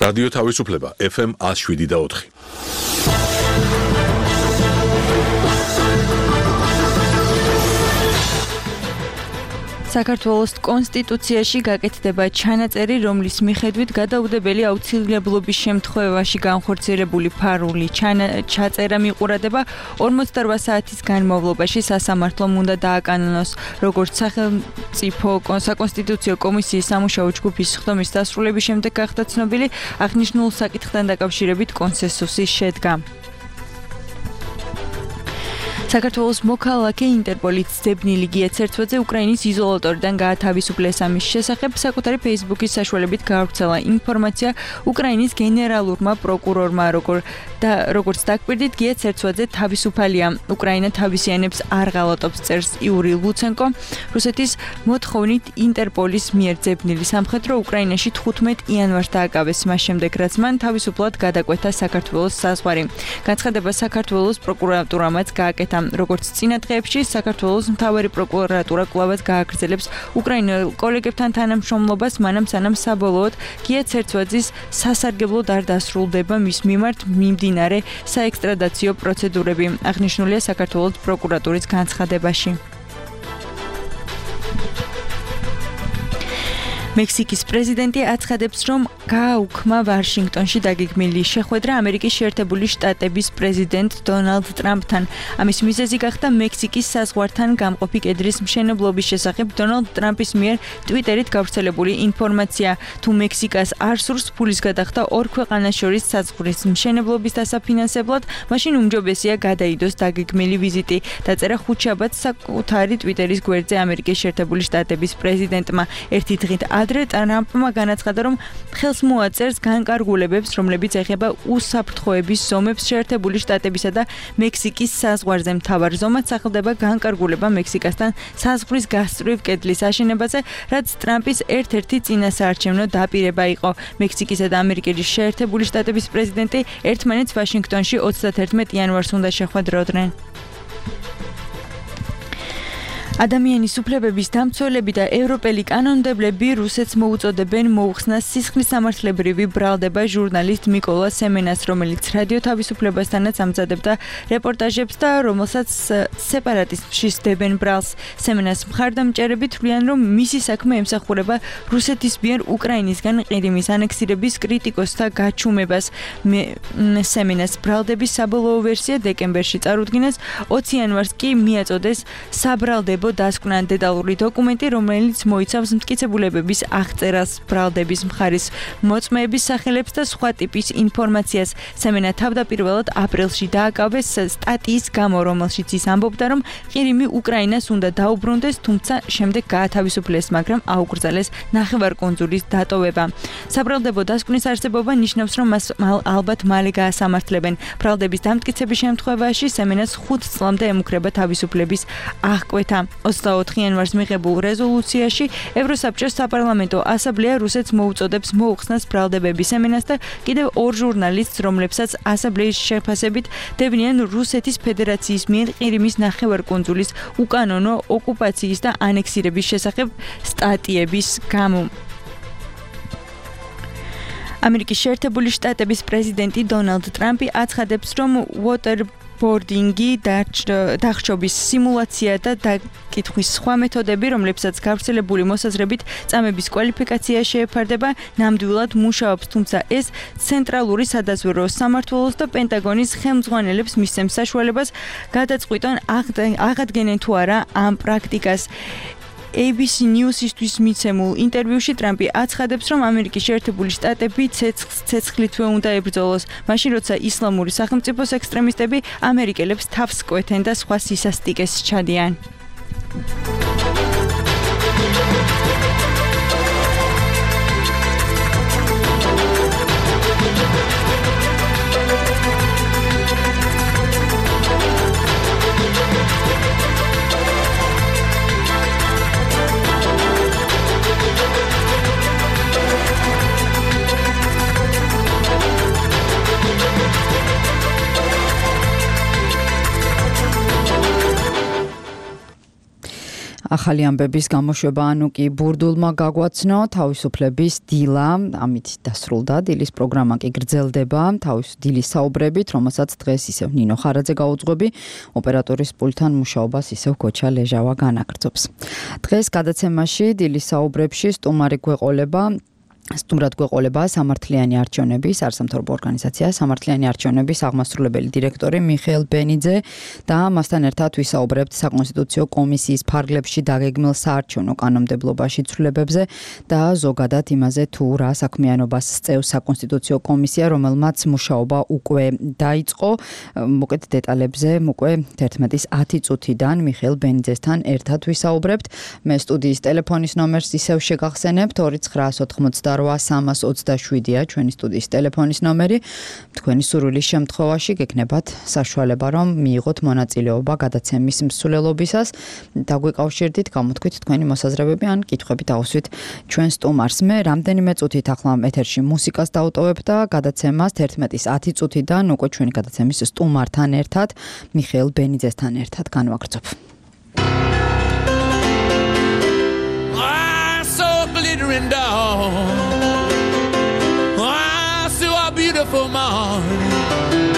რადიო თავისუფლება FM 107.4. საქართველოს კონსტიტუციაში გაკეთდება ჩანაწერი, რომლის მიხედვით გადაუდებელი აუცილებლობის შემთხვევაში განხორციელებული ფარული ჩაწერა მიყურადება 48 საათის განმავლობაში სასამართლომ უნდა დააკანონოს, როგორც სახელმწიფო საკონსტიტუციო კომისიის სამუშაო ჯგუფის ხდომის დასრულების შემდეგ გახდა ცნობილი, აღნიშნულ საკითხთან დაკავშირებით კონსენსუსი შედგა. საქართველოს მოქალაქე ინტერპოლის ძებნილი გია ცერცვაძე უკრაინის იზოლატორიდან გაათავისუფლეს. ამის შესახებ საკუთარი Facebook-ის საშუალებით გაავრცელა ინფორმაცია უკრაინის გენერალურმა პროკურორმა, როგორც დაგვირდით, გია ცერცვაძე თავისუფალია. უკრაინა თავისიანებს არ ღალატობს, წერს იური ლუცენკო. რუსეთის მოთხოვნით ინტერპოლის მიერ ძებნილი სამხედრო უკრაინაში 15 იანვარს დააკავეს, მას შემდეგ რაც მან თავისუფლად გადაკვეთა საქართველოს საზღვარი. განცხადება საქართველოს პროკურატურამაც გააკეთა. როგორც წინა დღეებში საქართველოს მთავარი პროკურატურა კვლავაც გააგრძელებს უკრაინელ კოლეგებთან თანამშრომლობას, მანამ სანამ საბოლოოდ გია ცერცვაძის სასარგებლოდ არ დასრულდება მის მიმართ მიმდინარე საექსტრადაციო პროცედურები, აღნიშნულია საქართველოს პროკურატურის განცხადებაში. მექსიკის პრეზიდენტი აცხადებს, რომ გააუქმა ვაშინგტონში დაგეგმილი შეხვედრა ამერიკის შეერთებული შტატების პრეზიდენტ დონალდ ტრამპთან. ამის მიზეზი გახდა მექსიკის საზღვართან გამყოფი კედრის მშენებლობის შესახებ დონალდ ტრამპის მიერ ტვიტერით გავრცელებული ინფორმაცია. თუ მექსიკას არ სურს ფულის გადახდა ორ ქვეყანას შორის საზღვრის მშენებლობის დასაფინანსებლად, მაშინ უმჯობესია გადაიდოს დაგეგმილი ვიზიტი, დაწერა ხუთშაბათს საკუთარი ტვიტერის გვერდზე ამერიკის შეერთებული შტატების პრეზიდენტმა. ერთი დღით ადრე ტრამპმა განაცხადა, რომ ხელს მოაწერს განკარგულებებს, რომლებიც ეხება უსაფრთხოების ზომებს შეერთებული შტატებისა და მექსიკის საზღვარზე. მთავარ ზომად სახელდება განკარგულება მექსიკასთან საზღვრის გასწვრივ კედლის აშენებაზე, რაც ტრამპის ერთ-ერთი წინასაარჩევნო დაპირება იყო. მექსიკისა და ამერიკის შეერთებული შტატების პრეზიდენტი ერთმანეთს ვაშინგტონში 31 იანვარს უნდა შეხვედროდნენ. ადამიანის უფლებების დამცველები და ევროპელი კანონმდებლები რუსეთს მოუწოდებენ მოუხსნას სისხლისამართლებრივი ბრალდება ჟურნალისტ მიკოლა სემენას, რომელიც რადიო თავისუფლებასთანაც ამზადებდა რეპორტაჟებს და რომელსაც სეპარატისტში სდებენ ბრალს. სემენას მხარდამჭერები თვლიან, რომ მისი საქმე ემსახურება რუსეთის მიერ უკრაინისგან ყირიმის ანექსირების კრიტიკოსთა გაჩუმებას. სემენას ბრალდების საბოლოო ვერსია დეკემბერში წარუდგინეს, 20 იანვარს კი მიაწოდეს საბრალდებო დასკვნა დეტალური დოკუმენტი, რომელიც მოიცავს მტკიცებულებების აღწერას, ბრალდების მხარის მოწმეების სახელებს და სხვა ტიპის ინფორმაციას. სემენა თავდაპირველად აპრილში დააკავეს სტატიის გამო, რომელშიც ის ამბობდა, რომ ყირიმი უკრაინას უნდა დაუბრუნდეს, თუმცა შემდეგ გაათავისუფლეს, მაგრამ აუკრძალეს ნახევარკუნძულის დატოვება. საბრალდებო დასკვნის არსებობა ნიშნავს, რომ მას ალბათ მალე გაასამართლებენ. ბრალდების დამტკიცების შემთხვევაში სემენას 5 წლამდე ემუქრება თავისუფლების აღკვეთა. 24 იანვარს მიღებულ რეზოლუციაში ევროსაბჭოს საპარლამენტო ასამბლეა რუსეთს მოუწოდებს მოუხსნას ბრალდებების სემენას და კიდევ 2 ჟურნალისტს, რომლებსაც ასამბლეის შეფასებით დევნიან რუსეთის ფედერაციის მიერ ყირიმის ნახევარკუნძულის უკანონო ოკუპაციის და ანექსირების შესახებ სტატიების გამო. ამერიკის შეერთებული შტატების პრეზიდენტი დონალდ ტრამპი აცხადებს, რომ waterboarding-ი დახშობის სიმულაცია და დაკითხვის სხვა მეთოდები, რომლებსაც გავრცელებული მოსაზრებით წამების კვალიფიკაცია შეეფარდება, ნამდვილად მუშაობს, თუმცა ეს ცენტრალური სადაზვერვო სამმართველოს და პენტაგონის ხელმძღვანელებს მისცემს საშუალებას გადაწყვიტონ აღადგენენ თუ არა ამ პრაქტიკას. ABC News-ისთვის მიცემულ ინტერვიუში ტრამპი აცხადებს, რომ ამერიკის შეერთებული შტატები ცეცხლითვე უნდა ებრძოლოს, მაშინ როცა ისლამური სახელმწიფოს ექსტრემისტები ამერიკელებს თავს კვეთენ და სხვა სისასტიკეს ჩადიან. ახალი ამბების გამოშვება ანუ კი ბურდულმა გაგვაცნო თავისუფლების დილა, ამით დასრულდა დილის პროგრამა კი გრძელდება დილის საუბრებით, რომელსაც დღეს ისევ ნინო ხარაძე გაუძღვები, ოპერატორის პულტთან მუშაობას ისევ გოჩა ლეჟავა განაგრძობს. დღეს გადაცემაში დილის საუბრებში სტუმრად გვეყოლება სამართლიანი არჩევნების არასამთავრობო ორგანიზაცია სამართლიანი არჩევნების აღმასრულებელი დირექტორი მიხეილ ბენიძე და მასთან ერთად ვისაუბრებთ საკონსტიტუციო კომისიის ფარგლებში დაგეგმილ საარჩევნო კანონმდებლობაში ცვლილებებზე და ზოგადად იმაზე თუ რა საქმიანობას სწევს საკონსტიტუციო კომისია, რომელმაც მუშაობა უკვე დაიწყო. მოკეთ დეტალებზე უკვე 11:10 წუთიდან მიხეილ ბენიძესთან ერთად ვისაუბრებთ. მე სტუდიის ტელეფონის ნომერს ისევ შეგახსენებთ 298-327-ია ჩვენი სტუდიის ტელეფონის ნომერი. თქვენი სურვილის შემთხვევაში გექნებათ საშუალება რომ მიიღოთ მონაწილეობა გადაცემის მსვლელობისას. დაგვიკავშირდით, გამოთქვით თქვენი მოსაზრებები ან კითხვები დაუსვით ჩვენ სტუმარს. მე რამდენიმე წუთით ახლა ეთერში მუსიკას დავტოვებ და გადაცემას 11:10 წუთიდან უკვე ჩვენი გადაცემის სტუმართან ერთად მიხეილ ბენიძესთან ერთად განვაგრძობ. Glittering down, I saw a beautiful morning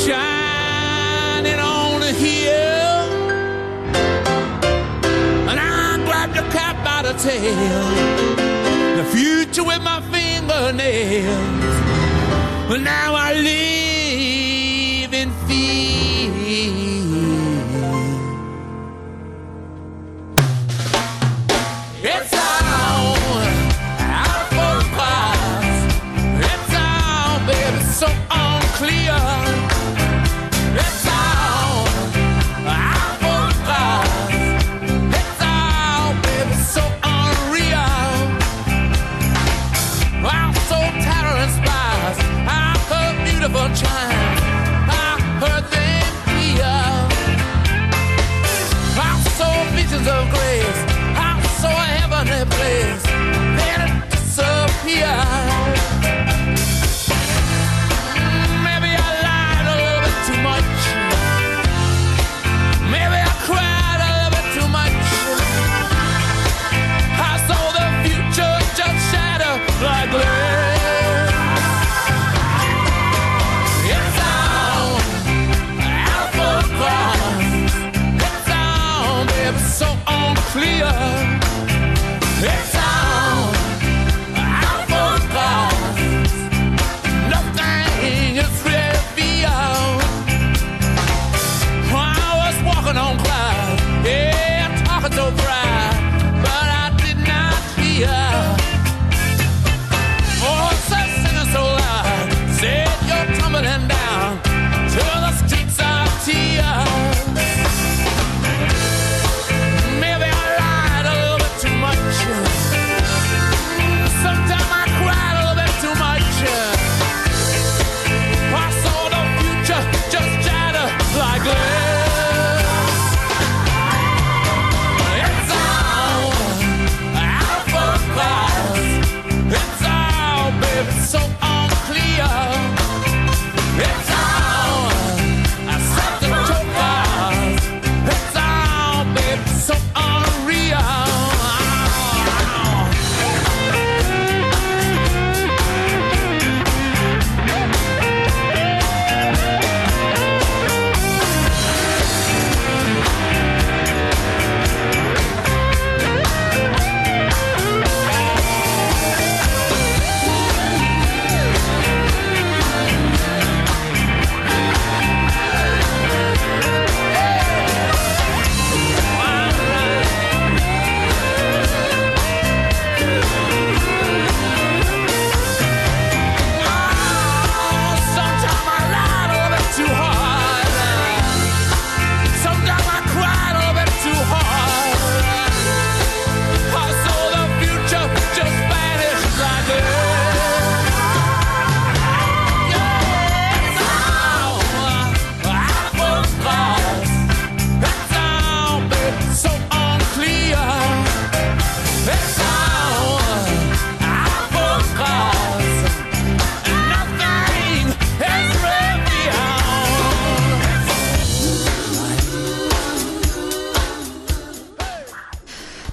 shining on the hill, and I grabbed the cat by the tail, the future with my fingernails, but now I live in fear. It's so unclear. It's all out for us. It's all, baby, so unreal. I'm so tired and spies. I heard beautiful chimes. I heard them clear. I'm so visions of grace. I'm so a heavenly place. Then it disappears. Maybe I cried a little bit too much. I saw the future just shadow like glass. It's all out for us. It's all, baby, so unclear. It's all out for us. Nothing is really beyond. Walking on clouds, yeah, talking so bright, but I did not hear. Oh, so singing so loud, said you're tumbling down to the streets of tears. Maybe I lied a little bit too much.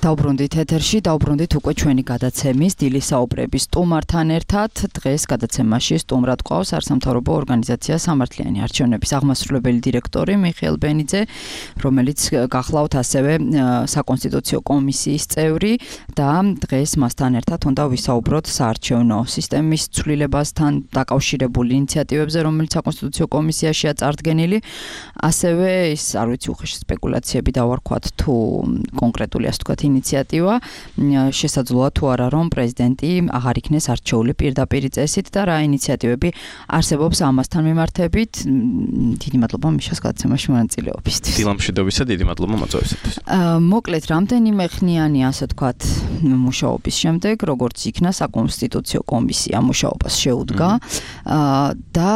დავბრუნდით ეთერში, დავბრუნდით უკვე ჩვენი გადაცემის დილის საუბრების სტუმართან ერთად. დღეს გადაცემაში სტუმრად გვყავს არასამთავრობო ორგანიზაცია სამართლიანი არჩევნების აღმასრულებელი დირექტორი მიხეილ ბენიძე, რომელიც გახლავთ ასევე საკონსტიტუციო კომისიის წევრი და დღეს მასთან ერთად უნდა ვისაუბროთ საარჩევნო სისტემის ცვლილებასთან დაკავშირებული ინიციატივებზე, რომელიც საკონსტიტუციო კომისიაშია წარდგენილი. ასევე ის არ ვიცი უხეში სპეკულაციები დავარქვათ თუ კონკრეტული ასე ვთქვათ ინიციატივა შესაძლოა თუ არა რომ პრეზიდენტი აღარ იქნეს არჩეული პირდაპირ წესით და რა ინიციატივები არსებობს ამასთან მიმართებით. დიდი მადლობა მიშას გადაცემაში მონაწილეობისთვის. დილამშვიდობისა, დიდი მადლობა მოწვევისათვის. მოკლედ რამდენიმე ხნიანი ასე ვთქვათ მუშაობის შემდეგ როგორც იქნა საკონსტიტუციო კომისია მუშაობას შეუდგა და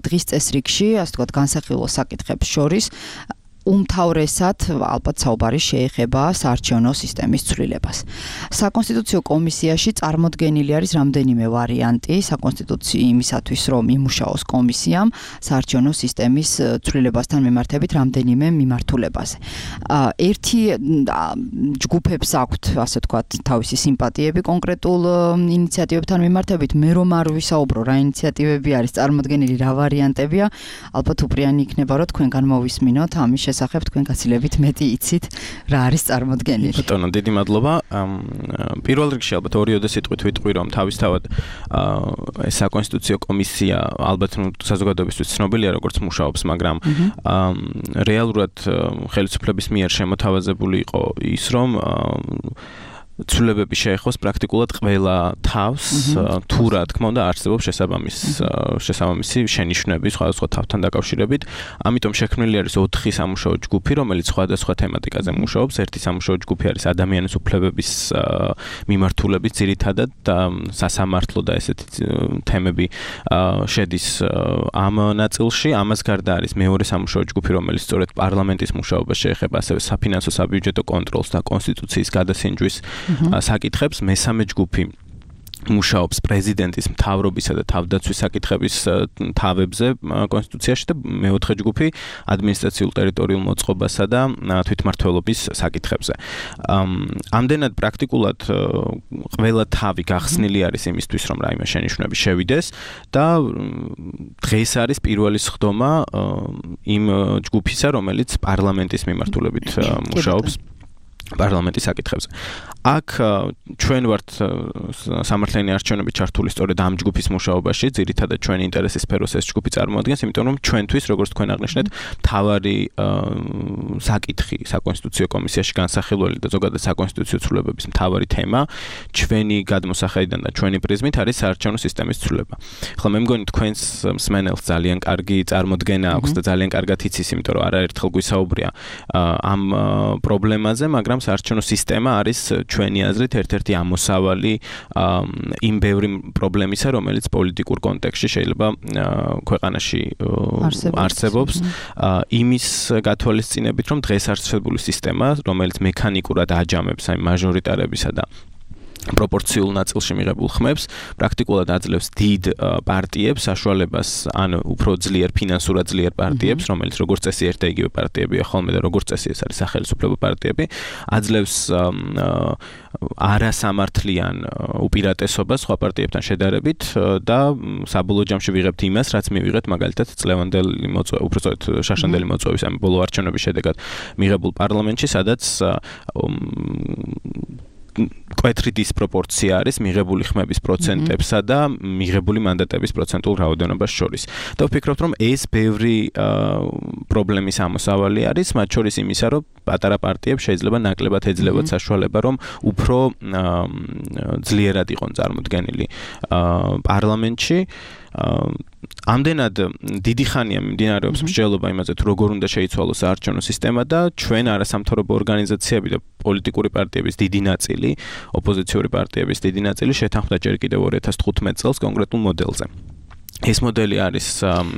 დღის წესრიგში ასე ვთქვათ განსახილო საკითხებს შორის უმთავრესად ალბათ საუბარი შეეხება საარჩევნო სისტემის ცვლილებას. საკონსტიტუციო კომისიაში წარმოდგენილი არის რამდენიმე ვარიანტი საკონსტიტუციის იმისათვის, რომ იმუშაოს კომისიამ საარჩევნო სისტემის ცვლილებასთან მიმართებით რამდენიმე მიმართულებაზე. ერთი ჯგუფებს აქვთ, ასე ვთქვათ, თავისი სიმპათიები კონკრეტულ ინიციატივებთან მიმართებით. მე რომ არ ვისაუბრო რა ინიციატივები არის წარმოდგენილი, რა ვარიანტებია, ალბათ უპრიანი იქნება, რომ თქვენ განმოვისმინოთ ამის სახებ თქვენ გაცილებით მეტი იცით რა არის წარმოდგენილი. ბატონო, დიდი მადლობა. პირველ რიგში ალბათ ორიოდე სიტყვით ვიტყვი, რომ თავისთავად ეს საკონსტიტუციო კომისია ალბათ საზოგადოებისთვის ცნობილია როგორც მუშაობს, მაგრამ რეალურად ხელისუფლების მიერ შემოთავაზებული იყო ის, რომ ცვლილებები შეეხოს პრაქტიკულად ყველა თავს, თუ რა თქმა უნდა არსებობს შესაბამისი შენიშვნები სხვადასხვა თავთან დაკავშირებით. ამიტომ შექმნილი არის 4 სამუშაო ჯგუფი, რომელიც სხვადასხვა თემატიკაზე მუშაობს. ერთი სამუშაო ჯგუფი არის ადამიანის უფლებების მიმართულების ძირითადად სასამართლო და ესეთი თემები შედის ამ ნაწილში. ამას გარდა არის მეორე სამუშაო ჯგუფი, რომელიც სწორედ პარლამენტის მუშაობას შეეხება, ასევე საფინანსო საბიუჯეტო კონტროლს და კონსტიტუციის გადასინჯვის საკითხებს. მესამე ჯგუფი მუშაობს პრეზიდენტის მთავრობისა და თავდაცვის საკითხების თავებზე კონსტიტუციაში და მეოთხე ჯგუფი ადმინისტრაციულ ტერიტორიულ მოწყობასა და თვითმმართველობის საკითხებზე. ამდენად პრაქტიკულად ყველა თავი გახსნილი არის იმისთვის, რომ რაიმე შენიშვნები შევიდეს და დღეს არის პირველი სხდომა იმ ჯგუფისა, რომელიც პარლამენტის მიმართულებით მუშაობს პარლამენტის საკითხებზე. აქ ჩვენ ვართ სამართლიანი არჩევნები ჩართული სწორედ ამ ჯგუფის მუშაობაში, ძირითადად ჩვენი ინტერესის სფეროს ეს ჯგუფი წარმოადგენს, იმიტომ რომ ჩვენთვის, როგორც თქვენ აღნიშნეთ, მთავარი საკითხი საკონსტიტუციო კომისიაში განსახილველი და ზოგადად საკონსტიტუციო ცვლილებების მთავარი თემა ჩვენი გადმოსახედიდან და ჩვენი პრიზმით არის საარჩევნო სისტემის ცვლილება. ახლა მე მგონი თქვენს მსმენელს ძალიან კარგი წარმოდგენა აქვს და ძალიან კარგად იცის, იმიტომ რომ არაერთხელ გვისაუბრია ამ პრობლემაზე, მაგრამ საარჩევნო სისტემა არის ჩვენი აზრით ერთ-ერთი ამოსავალი იმ ბევრი პრობლემისა, რომელიც პოლიტიკურ კონტექსტში შეიძლება ქვეყანაში არსებობს. იმის გათვალისწინებით, რომ დღეს არსებული სისტემა, რომელიც მექანიკურად აჯამებს აი მაჟორიტარებისა და პროპორციულ ნაწილში მიღებულ ხმებს, პრაქტიკულად აძლევს დიდ პარტიებს საშუალებას, ან უფრო ძლიერ ფინანსურად ძლიერ პარტიებს, რომელიც როგორც წესი ერთ და იგივე პარტიებია ხოლმე და როგორც წესი ეს არის სახელმწიფო პარტიები, აძლევს არასამართლიან უპირატესობას სხვა პარტიებთან შედარებით და საბოლოო ჯამში ვიღებთ იმას, რაც მივიღეთ მაგალითად წლევანდელი მოწვევის, უბრალოდ შაშანდელი მოწვევის ამ ბოლო არჩევნების შედეგად მიღებულ პარლამენტში, სადაც კვეთრი დისპროპორცია არის მიღებული ხმების პროცენტებსა და მიღებული მანდატების პროცენტულ რაოდენობას შორის. და ვფიქრობთ, რომ ეს ბევრი პრობლემის ამოსავალი არის, მათ შორის იმისა, რომ პატარა პარტიებს შეიძლება ნაკლებად ეძლებათ საშუალება, რომ უფრო ძლიერად იყვნენ წარმოდგენილი პარლამენტში. ამდენად დიდი ხანია მიმდინარეობს მსჯელობა იმაზე, თუ როგორ უნდა შეიცვალოს საარჩევნო სისტემა და ჩვენ არასამთავრობო ორგანიზაციები და პოლიტიკური პარტიების დიდი ნაწილი, ოპოზიციური პარტიების დიდი ნაწილი შეთანხმდა ჯერ კიდევ 2015 წელს კონკრეტულ მოდელზე. ეს მოდელი არის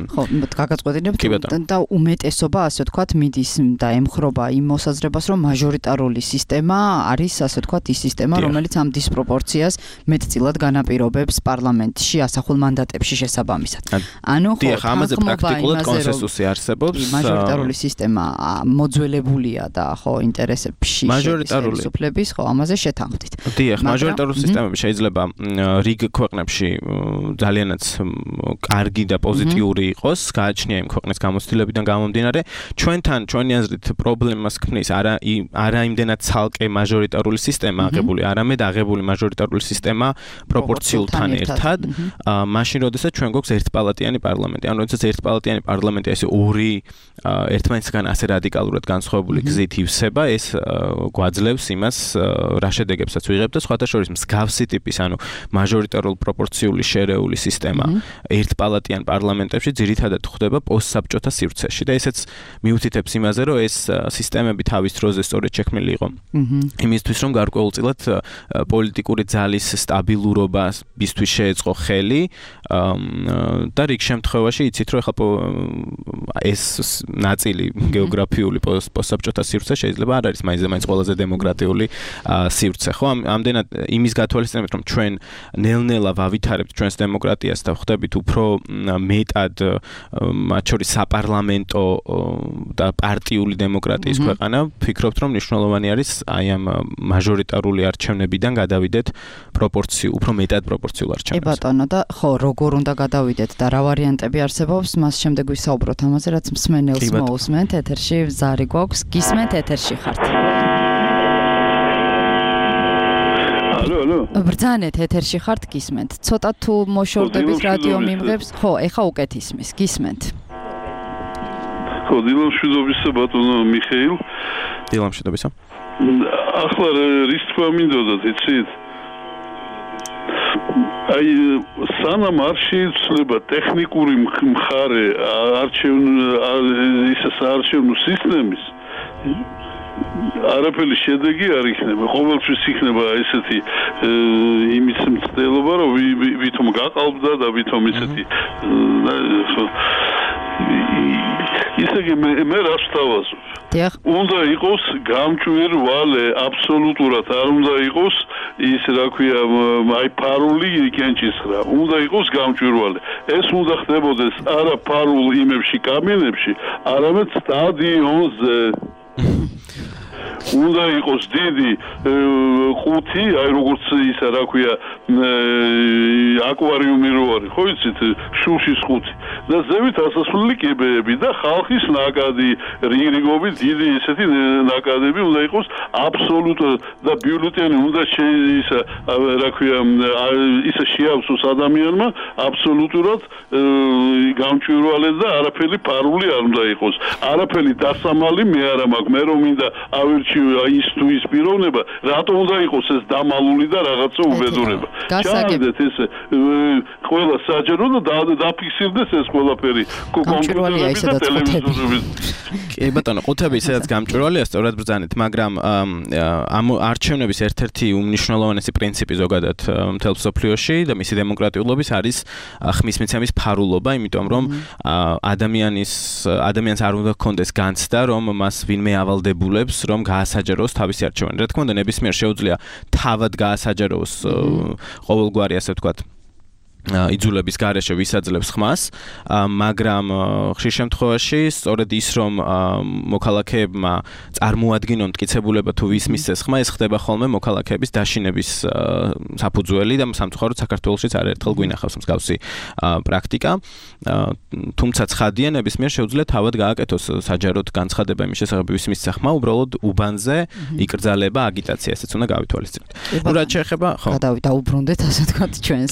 ხო, გაგაწყვეტინებთ და უმეტესობა, ასე ვთქვათ, მიდის და ემხრობა იმ მოსაზრებას, რომ მაჟორიტარული სისტემა არის, ასე ვთქვათ, ის სისტემა, რომელიც ამ დისპროპორციას მეტწილად განაპირობებს პარლამენტში ასახულ მანდატებში შესაბამისად. ანუ ხო, ამაზე პრაქტიკულად კონსენსუსი არსებობს. მაჟორიტარული სისტემა მოძველებულია და ხო, ინტერესებში ხელისუფლების, ხო, ამაზე შეთანხმდით. დიახ, მაჟორიტარული სისტემები შეიძლება რიგ ქვეყნებში ძალიანაც კარგი და პოზიტიური იყოს, გააჩნია იმ ქვეყნის გამოცდილებიდან გამომდინარე. ჩვენთან ჩვენი აზრით პრობლემას ქმნის არა იმდენად ცალკე მაჟორიტარული სისტემა აღებული, არამედ აღებული მაჟორიტარული სისტემა პროპორციულთან ერთად, მაშინ როდესაც ჩვენ გვაქვს ერთპალატიანი პარლამენტი. ანუ როდესაც ერთპალატიანი პარლამენტი ესე ორი ერთმანეთისგან ასე რადიკალურად განსხვავებული გზით ივსება, ეს გვაძლევს იმას, რა შედეგებსაც ვიღებთ და სხვათა შორის მსგავსი ტიპის, ანუ მაჟორიტარულ პროპორციული შერეული სისტემა ერთპალატიან პარლამენტებში ძირითადად ხდება პოსტსაბჭოთა სივრცეში და ესეც მიუთითებს იმაზე, რომ ეს სისტემები თავის დროზე სწორედ შექმნილი იყო. იმისთვის, რომ გარკვეულწილად პოლიტიკური ძალის სტაბილურობისთვის შეეწყო ხელი და რიგ შემთხვევაში იცით, რომ ახლა ეს ნაწილი გეოგრაფიული პოსტსაბჭოთა სივრცე შეიძლება არ არის მაინც ყველაზე დემოკრატიული სივრცე, ხო? ამდენად იმის გათვალისწინებით, რომ ჩვენ ნელ-ნელა ვავითარებთ ჩვენს დემოკრატიას და ხდებით უფრო მეტად მათ შორის საპარლამენტო და პარტიული დემოკრატიის ქვეყანა, ვფიქრობთ, რომ მნიშვნელოვანი არის აი ამ მაჟორიტარული არჩევნებიდან გადავიდეთ უფრო მეტად პროპორციულ არჩევნებს. ბატონო და ხო, როგორ უნდა გადავიდეთ და რა ვარიანტები არსებობს, მას შემდეგ ვისაუბროთ ამაზე, რაც მსმენელს მოусმენთ, ეთერში ზარი გვაქვს, გისმენთ, ეთერში ხართ. ბრძანეთ, ეთერში ხართ, გისმენთ. ცოტა თუ მოშორდებით რადიო მიმღებს, ხო, ეხა უკეთ ისმის, გისმენთ. ხო, დილამშვიდობისა ბატონო მიხეილ. დილამშვიდობისა. ახლა რის თქმა მინდოდათ, იცით? აი, სანამ არ შეიცვლება ტექნიკური მხარე არჩევნო სისტემის, არაფერი შედეგი არ იქნება. ყოველთვის იქნება ესეთი იმის მცდელობა, რომ ვითომ გაყალბდა და ვითომ ესეთი ისე მე რას ვთავაზობ? უნდა იყოს გამჭვირვალე, აბსოლუტურად არ უნდა იყოს ის რა ქვია, აი ფარული კენჭისხრა. უნდა იყოს გამჭვირვალე. ეს უნდა ხდებოდეს არა ფარულ იმებში, კაბინებში, არამედ სტადიონზე. უნდა იყოს დიდი ყუთი, აი როგორც ისა რა ქვია, აკვარიუმი რო არის, ხო იცით, შუშის ყუთი. და ზევით ასასვლელი კიბეები და ხალხის ნაკადი, რიგრიგობით დიდი ესეთი ნაკადები უნდა იყოს აბსოლუტურად და ბიულეტენი უნდა ისა რა ქვია, ისა შეავსოს ადამიანმა აბსოლუტურად გამჭვირვალე და არაფერი ფარული არ უნდა იყოს. არაფერი დასამალი მე არა მაქვს, მე რომ მინდა ავირჩი ის თუ ის პიროვნება, რატომ უნდა იყოს ეს დამალული და რაღაცა უბედურება. ჩავიდეთ ეს ყველა საჯარო და დაფიქსირდეს ეს ყველაფერი კომპიუტერები და ტელევიზორები. კი ბატონო, ყუთები სადაც გამჭვირვალეა, სწორად ბრძანეთ, მაგრამ ამ არჩევნების ერთ-ერთი უმნიშვნელოვანესი პრინციპი ზოგადად მთელ მსოფლიოში და მისი დემოკრატიულობის არის ხმის მიცემის ფარულობა, იმიტომ რომ ადამიანს არ უნდა ჰქონდეს განცდა, რომ მას ვინმე ავალდებულებს, რომ გაასაჯაროს თავისი არჩევანი. რა თქმა უნდა, ნებისმიერ შეუძლია თავად გაასაჯაროს ყოველგვარი, ასე ვთქვათ, იძულების გარეშე ვისაძლევს ხმას, მაგრამ ხშირ შემთხვევაში სწორედ ის, რომ მოქალაქეებმა წარმოადგინონ მტკიცებულება თუ ვის მისცეს ხმა, ეს ხდება ხოლმე მოქალაქეების დაშინების საფუძველი და სამწუხაროდ საქართველოშიც არაერთხელ გვინახავს მსგავსი პრაქტიკა. თუმცა ცხადია, ნებისმიერ შეუძლია თავად გააკეთოს საჯაროდ განცხადება იმის შესახებ, ვის მისცა ხმა, უბრალოდ უბანზე იკრძალება აგიტაცია, ესეც უნდა გავითვალისწინოთ. ნუ რაც შეეხება, ხო. დავუბრუნდეთ, ასე ვთქვათ, ჩვენს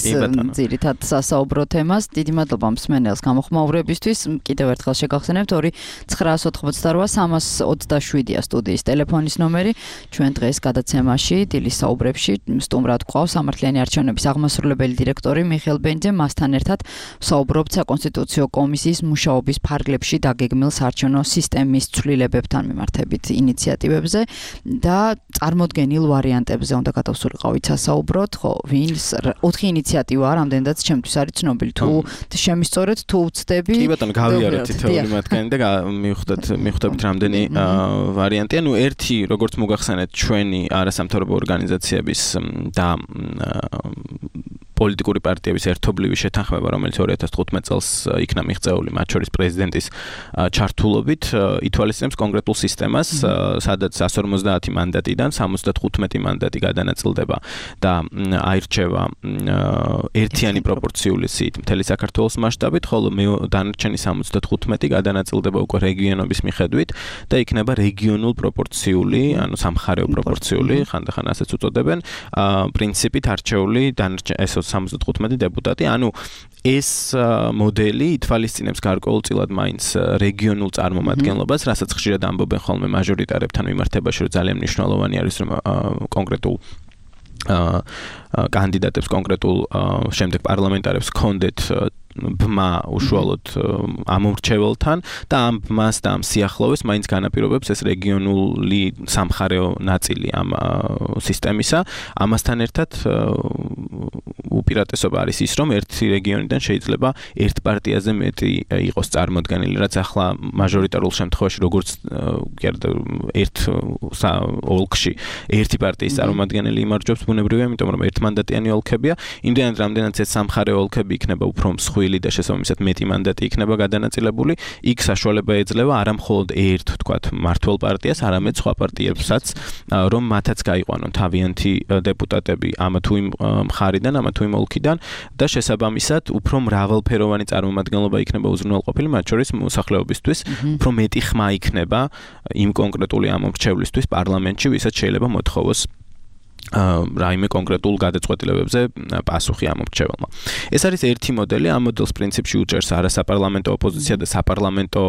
ძირითად სასაუბრო თემას. დიდი მადლობა მსმენელს გამოხმაურებისთვის. კიდევ ერთხელ შეგახსენებთ 2-928-327-ია სტუდიის ტელეფონის ნომერი. ჩვენ დღეს გადაცემაში დილის საუბრებში სტუმრად გვყავს სამართლიანი არჩევნების აღმასრულებელი დირექტორი მიხეილ ბენიძე. მასთან ერთად საუბრობთ საკონსტიტუციო კომისიის მუშაობის ფარგლებში დაგეგმილ საარჩევნო სისტემის ცვლილებებთან მიმართებით ინიციატივებზე და წარმოდგენილ ვარიანტებზე უნდა გადავსულიყავით სასაუბროთ. ხო, ვინს 4 ინიციატივაა რამდენადაც რაც ჩემთვის არის ცნობილი. თუ შემისწორეთ, თუ ვწდები. კი ბატონო, გავიარეთ თითოეული მათგანი და მივხვდებით რამდენი ვარიანტი. ანუ ერთი, როგორც მოგახსენეთ, ჩვენი არასამთავრობო ორგანიზაციების და პოლიტიკური პარტიების ერთობლივი შეთანხმება, რომელიც 2015 წელს იქნა მიღწეული, მათ შორის პრეზიდენტის ჩართულობით, ითვალისწინებს კონკრეტულ სისტემას, სადაც 150 მანდატიდან 75 მანდატი გადანაწილდება და აირჩევა ერთიანი პროპორციული სიით მთელი საქართველოს მასშტაბით, ხოლო დანარჩენი 75 გადანაწილდება უკვე რეგიონების მიხედვით და იქნება რეგიონულ პროპორციული, ანუ სამხარეო პროპორციული, ხანდახან ასეც უწოდებენ, პრინციპით არჩეული ეს 75 დეპუტატი, ანუ ეს მოდელი ითვალისწინებს გარკვეულწილად მაინც რეგიონულ წარმომადგენლობას, რასაც ხშირად ამბობენ ხოლმე მაჟორიტარებთან მიმართებაში, რომ ძალიან მნიშვნელოვანი არის, რომ კონკრეტულ კანდიდატებს, კონკრეტულ შემდეგ პარლამენტარებს ჰქონდეთ ბმა უშუალოდ ამომრჩეველთან და ამ ბმას და ამ სიახლოვეს მაინც განაპირობებს ეს რეგიონული სამხარეო ნაწილი ამ სისტემისა. ამასთან ერთად უპირატესობა არის ის, რომ ერთი რეგიონიდან შეიძლება ერთ პარტიაზე მეტი იყოს წარმოდგენილი, რაც ახლა მაჟორიტარულ შემთხვევაში როგორც ერთ ოლქში ერთი პარტიის წარმოადგენელი იმარჯვებს ბუნებრივია, იმიტომ რომ ერთმანდატიანი ოლქებია, იმდენად რამდენიც ეს სამხარეო ოლქები იქნება უფრო მსხვილი და შესაბამისად მეტი მანდატი იქნება გადანაწილებული, იქ საშუალება ეძლევა არა მხოლოდ ერთ, თქვათ, მმართველ პარტიას, არამედ სხვა პარტიებსაც, რომ მათაც გაიყვანონ თავიანთი დეპუტატები ამა თუ იმ მხარიდან, ამა თუ იმ ოლქიდან და შესაბამისად უფრო მრავალფეროვანი წარმომადგენლობა იქნება უზრუნველყოფილი, მათ შორის მოსახლეობისთვის, უფრო მეტი ხმა იქნება იმ კონკრეტული ამომრჩევლისთვის პარლამენტში, ვისაც შეიძლება მოთხოვოს რაიმე კონკრეტულ გადაწყვეტილებებზე პასუხი ამორჩეველმა. ეს არის ერთი მოდელი, ამ მოდელს პრინციპში უჭერს არასაპარლამენტო ოპოზიცია და საპარლამენტო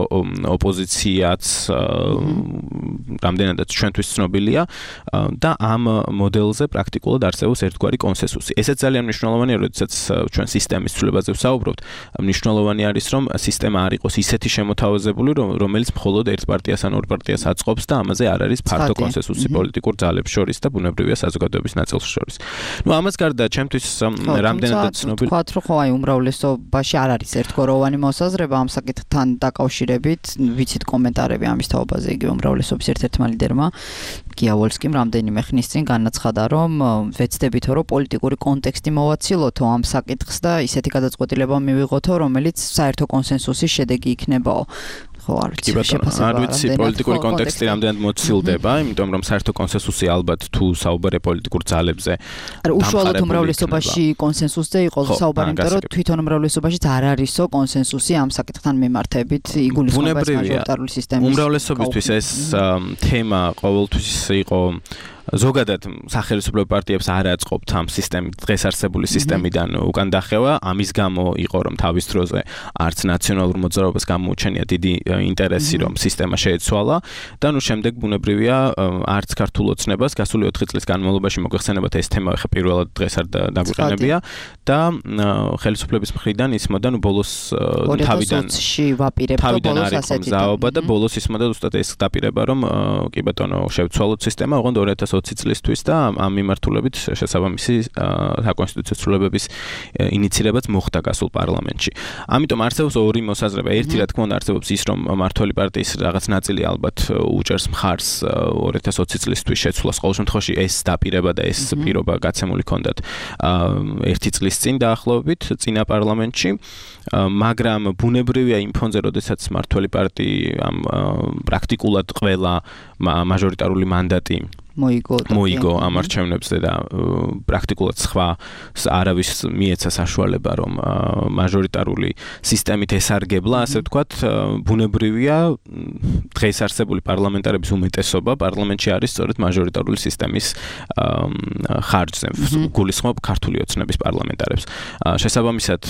ოპოზიციაც რამდენადაც ჩვენთვის ცნობილია და ამ მოდელზე პრაქტიკულად არსებობს ერთგვარი კონსენსუსი. ესეც ძალიან მნიშვნელოვანია, როდესაც ჩვენ სისტემის ცვლილებაზე ვსაუბრობთ. მნიშვნელოვანი არის, რომ სისტემა არ იყოს ისეთი შემოთავაზებული, რომელიც მხოლოდ ერთ პარტიას ან ორ პარტიას აწყობს და ამაზე არ არის ფართო კონსენსუსი პოლიტიკურ ძალებს შორის და ბუნებრივია საზოგადოების ნაწილს შორის. ნუ ამას გარდა ჩემთვის რამდენადაც ცნობილი ვთქვათ, რომ ხო აი უმრავლესობაში არ არის ერთგვაროვანი მოსაზრება ამ საკითხთან დაკავშირებით, ვიცით კომენტარები ამის თაობაზე, იგივე უმრავლესობის ერთ-ერთმა ლიდერმა გიავოლსკიმ რამდენიმე ხნის წინ განაცხადა, რომ ვეცდებითო, რომ პოლიტიკური კონტექსტი მოვაცილოთო ამ საკითხს და ისეთი გადაწყვეტილება მივიღოთო, რომელიც საერთო კონსენსუსის შედეგი იქნებაო. არ ვიცი პოლიტიკური კონტექსტი რამდენად მოცილდება, იმიტომ რომ საერთო კონსენსუსი ალბათ თუ საუბარია პოლიტიკურ ძალებზე. უშუალოდ უმრავლესობაში კონსენსუსზე იყო საუბარი, იმიტომ რომ თვითონ უმრავლესობაშიც არ არისო კონსენსუსი ამ საკითხთან მიმართებით იგულისხმება მაჟორიტარული სისტემის. უმრავლესობისთვის ეს თემა ყოველთვის იყო ზოგადად სახელმწიფო პარტიებს არ აწყობთ ამ სისტემით, დღეს არსებული სისტემიდან უკან დახევა, ამის გამო იყო რომ თავის დროზე არც ნაციონალურ მოძრაობას გამოუჩენია დიდი ინტერესი რომ სისტემა შეეცვალა და ნუ შემდეგ ბუნებრივია არც ქართულ ოცნებას გასული 4 წლის განმავლობაში მოგეხსენებათ ეს თემა ხა პირველად დღეს არ დაგვიყენებია და ხელისუფლების მხრიდან ისმოდა ნუ ბოლოს თავიდანში ვაპირებთ ბოლოს ასეთი და ბოლოს ისმოდა უბრალოდ ეს დაპირება რომ კი ბატონო შევცვალოთ სისტემა, ოღონდ 2020 წლისთვის და ამ მიმართულებით შესაბამისი საკონსტიტუციო ცვლილებების ინიცირებაც მოხდა გასულ პარლამენტში. ამიტომ არსებობს ორი მოსაზრება. ერთი რა თქმა უნდა არსებობს ის რომ მმართველი პარტიის რაღაც ნაწილი ალბათ უჭერს მხარს 2020 წლისთვის შეცვლას. ყოველ შემთხვევაში ეს დაპირება და ეს პირობა გაცემული ჰქონდათ 1 წლის წინ დაახლოებით წინა პარლამენტში, მაგრამ ბუნებრივია იმ ფონზე, როდესაც მმართველი პარტია პრაქტიკულად ყველა მაჟორიტარული მანდატი მოიგო ამ არჩევნებზე და პრაქტიკულად სხვა არავის მიეცა საშუალება რომ მაჟორიტარული სისტემით ესარგებლა, ასე ვთქვათ, ბუნებრივია დღეს არსებული პარლამენტარების უმეტესობა პარლამენტში არის სწორედ მაჟორიტარული სისტემის ხარჯზე, გულისხმობ ქართული ოცნების პარლამენტარებს. შესაბამისად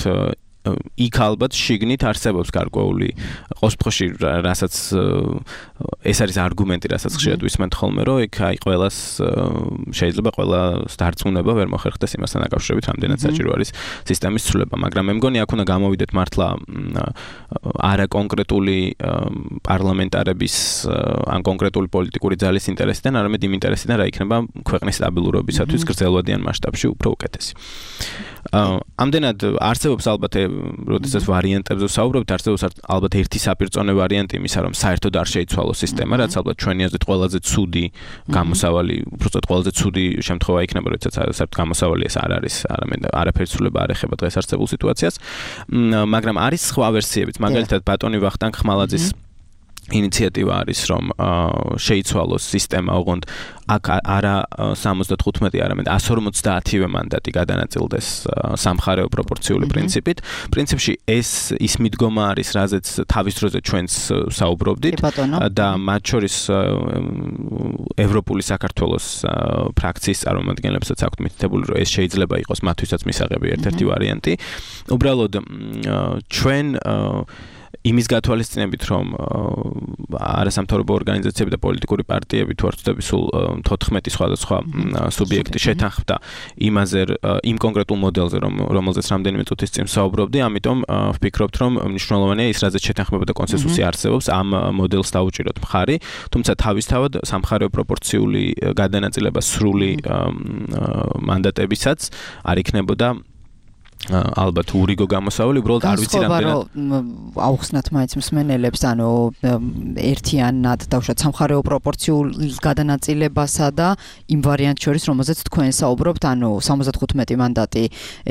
იქ ალბათ შიგნით არსებობს გარკვეული ყოველში რასაც ეს არის არგუმენტი, რასაც ხშირად ვისმენთ ხოლმე, რომ იქ აი ყველას შეიძლება ყველას დარწმუნება ვერ მოხერხდეს იმასთან დაკავშირებით, რამდენად საჭირო არის სისტემის ცვლილება, მაგრამ მე მგონი აქ უნდა გამოვიდეთ მართლა არა კონკრეტული პარლამენტარების ან კონკრეტული პოლიტიკური ძალის ინტერესიდან, არამედ იმ ინტერესიდან, რა იქნება ქვეყნის სტაბილურობისათვის გრძელვადიან მასშტაბში უფრო უკეთესი. ამდენად არსებობს ალბათ როდესაც ვარიანტებზე ვსაუბრობთ, არსებობს ალბათ ერთი საპირწონე ვარიანტი იმისა, რომ საერთოდ არ შეიცვალოს სისტემა, რაც ალბათ ჩვენი აზრით ყველაზე ცუდი გამოსავალი, უბრალოდ ყველაზე ცუდი შემთხვევა იქნება, როდესაც საერთოდ გამოსავალი ეს არ არის, არაფერი ცვლილება არ ეხება დღეს არსებულ სიტუაციას. მაგრამ არის სხვა ვერსიებიც, მაგალითად ბატონი ვახტანგ ხმალაძის ინიციატივა არის, რომ შეიცვალოს სისტემა, ოღონდ აქ არა 75, არამედ 150-ვე მანდატი გადანაწილდეს სამხარეო პროპორციული პრინციპით. პრინციპში ის მიდგომა არის, რაზეც თავის დროზე ჩვენც საუბრობდით და მათ შორის ევროპული საქართველოს ფრაქციის წარმომადგენლებსაც აქვთ მითითებული, რომ ეს შეიძლება იყოს მათთვისაც მისაღები ერთ-ერთი ვარიანტი. უბრალოდ ჩვენ იმის გათვალისწინებით, რომ არასამთავრობო ორგანიზაციები და პოლიტიკური პარტიები თუ არ ვცდები სულ 14 სხვადასხვა სუბიექტი შეთანხმდა იმაზე, იმ კონკრეტულ მოდელზე, რომელზეც რამდენიმე წუთის წინ ვსაუბრობდი, ამიტომ ვფიქრობთ, რომ მნიშვნელოვანია ის, რაზეც შეთანხმება და კონსენსუსი არსებობს, ამ მოდელს დაუჭიროთ მხარი, თუმცა თავისთავად სამხარეო პროპორციული გადანაწილება სრული მანდატებისაც არ იქნებოდა ალბათ ურიგო გამოსავალი, უბრალოდ არ ვიცი რამდენად აუხსნათ მაინც მსმენელებს, ანუ ერთიანად დავუშვათ სამხარეო პროპორციულ გადანაწილებასა და იმ ვარიანტ შორის, რომელზეც თქვენ საუბრობთ, ანუ 75 მანდატი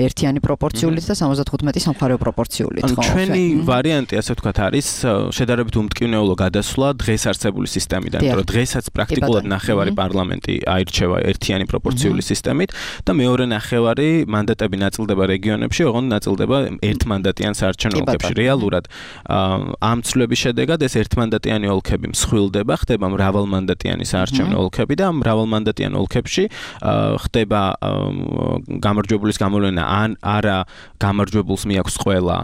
ერთიანი პროპორციულით და 75 სამხარეო პროპორციულით, ხო? ჩვენი ვარიანტი, ასე ვთქვათ, არის შედარებით უმტკივნეულო გადასვლა დღეს არსებული სისტემიდან, რომ დღესაც პრაქტიკულად ნახევარი პარლამენტი აირჩევა ერთიანი პროპორციული სისტემით და მეორე ნახევარი მანდატები ნაწილდება რეგიონებში, ოღონდ ნაწილდება ერთმანდატიან საარჩევნო ოლქებში. რეალურად ამ ცვლილების შედეგად ეს ერთმანდატიანი ოლქები მსხვილდება, ხდება მრავალმანდატიანი საარჩევნო ოლქები და ამ მრავალმანდატიან ოლქებში ხდება გამარჯვებულის გამოვლენა ან არა გამარჯვებულს მიაქვს ყველა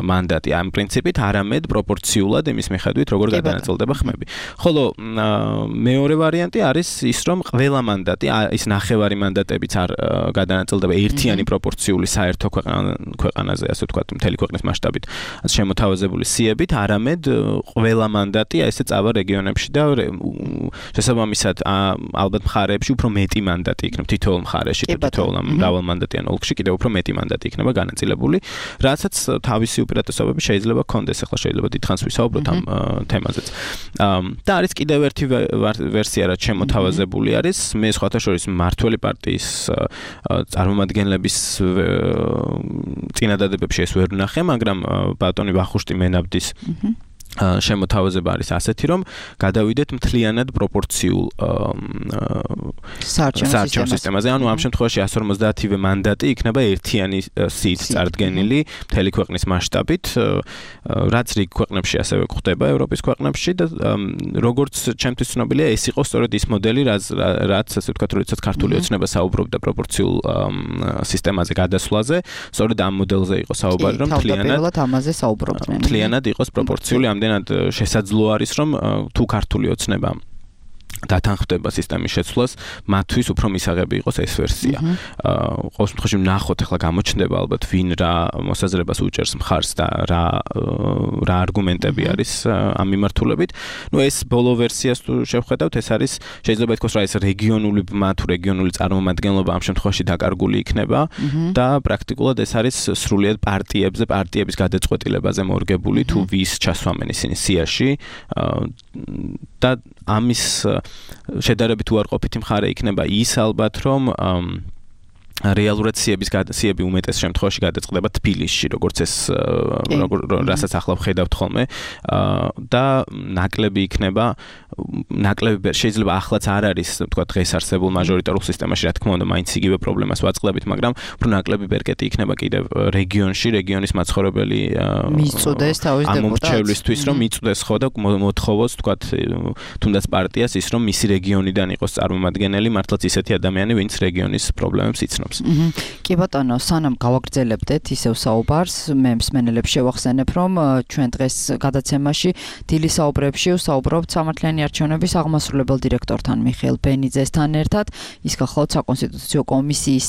მანდატი ამ პრინციპით, არამედ პროპორციულად იმის მიხედვით, როგორ გადანაწილდება ხმები. ხოლო მეორე ვარიანტი არის ის, რომ ყველა მანდატი, ის ნახევარი მანდატებიც არ გადანაწილდება ერთიანი პროპორციული საერთო ქვეყანაზე, ასე ვთქვათ, მთელი ქვეყნის მასშტაბით შემოთავაზებული სიებით, არამედ ყველა მანდატი ესე წავა რეგიონებში და შესაბამისად ალბათ მხარეებში უფრო მეტი მანდატი იქნება თითოეულ მხარეში და თითოეულ მრავალმანდატიან ოლქში კიდევ უფრო მეტი მანდატი იქნება განაწილებული, რასაც თავისი უპირატესობები შეიძლება ჰქონდეს. ახლა შეიძლება დიდხანს ვისაუბროთ ამ თემაზეც. და არის კიდევ ერთი ვერსია, რაც შემოთავაზებული არის, მე სხვათა შორის მმართველი პარტიის წარმომადგენლების წინადადებებში ეს ვერ ვნახე, მაგრამ ბატონი ვახუშტი მენაბდის შემოთავაზება არის ასეთი, რომ გადავიდეთ მთლიანად პროპორციულ საარჩევნო სისტემაზე. ანუ ამ შემთხვევაში 150-ვე მანდატი იქნება ერთიანი სიით წარდგენილი მთელი ქვეყნის მასშტაბით, რაც რიგ ქვეყნებში ასევე გვხდება, ევროპის ქვეყნებში და როგორც ჩემთვის ცნობილია, ეს იყო სწორედ ის მოდელი, რაც ასე ვთქვათ, როდესაც ქართული ოცნება საუბრობდა პროპორციულ სისტემაზე გადასვლაზე, სწორედ ამ მოდელზე იყო საუბარი, რომ მთლიანად იყოს პროპორციული. ამდენად შესაძლო არის, რომ თუ ქართული ოცნება დათანხმდება სისტემის შეცვლას, მათთვის უფრო მისაღები იყოს ეს ვერსია. ყოველ შემთხვევაში ვნახოთ, ახლა გამოჩნდება ალბათ ვინ რა მოსაზრებას უჭერს მხარს და რა არგუმენტები არის ამ მიმართულებით. ეს ბოლო ვერსიას თუ შევხედავთ, ეს არის შეიძლება ითქვას, რომ ეს რეგიონული ბმა თუ რეგიონული წარმომადგენლობა ამ შემთხვევაში დაკარგული იქნება და პრაქტიკულად ეს არის სრულიად პარტიების გადაწყვეტილებაზე მორგებული, თუ ვის ჩასვამენ ისინი სიაში და ამის შედარებით უარყოფითი მხარე იქნება ის ალბათ, რომ რეალურად სიები უმეტეს შემთხვევაში გადაწყდება თბილისში, როგორც რასაც ახლა ვხედავთ ხოლმე და ნაკლები იქნება ნაკლები შეიძლება ახლაც არ არის თქვა დღეს არსებულ მაჟორიტარულ სისტემაში რა თქმა უნდა მაინც იგივე პრობლემას ვაწყდებით მაგრამ უფრო ნაკლები ბერკეტი იქნება კიდევ რეგიონის მაცხოვრებელი მიწუდეს თავის დეპუტატს ამორჩევლისთვის რომ მიწუდეს ხო და მოთხოვოს თქვა თუნდაც პარტიას ის რომ მისი რეგიონიდან იყოს წარმომადგენელი მართლაც ისეთი ადამიანი ვინც რეგიონის პრობლემებს იცნობს კი ბატონო სანამ გავაგრძელებდეთ ისევ საუბარს მე მსმენელებს შევახსენებ რომ ჩვენ დღეს გადაცემაში დილის საუბრებში ვსაუბრობთ სამართლიანი არჩევნების აღმასრულებელ დირექტორთან მიხეილ ბენიძესთან ერთად ის გახლავთ საკონსტიტუციო კომისიის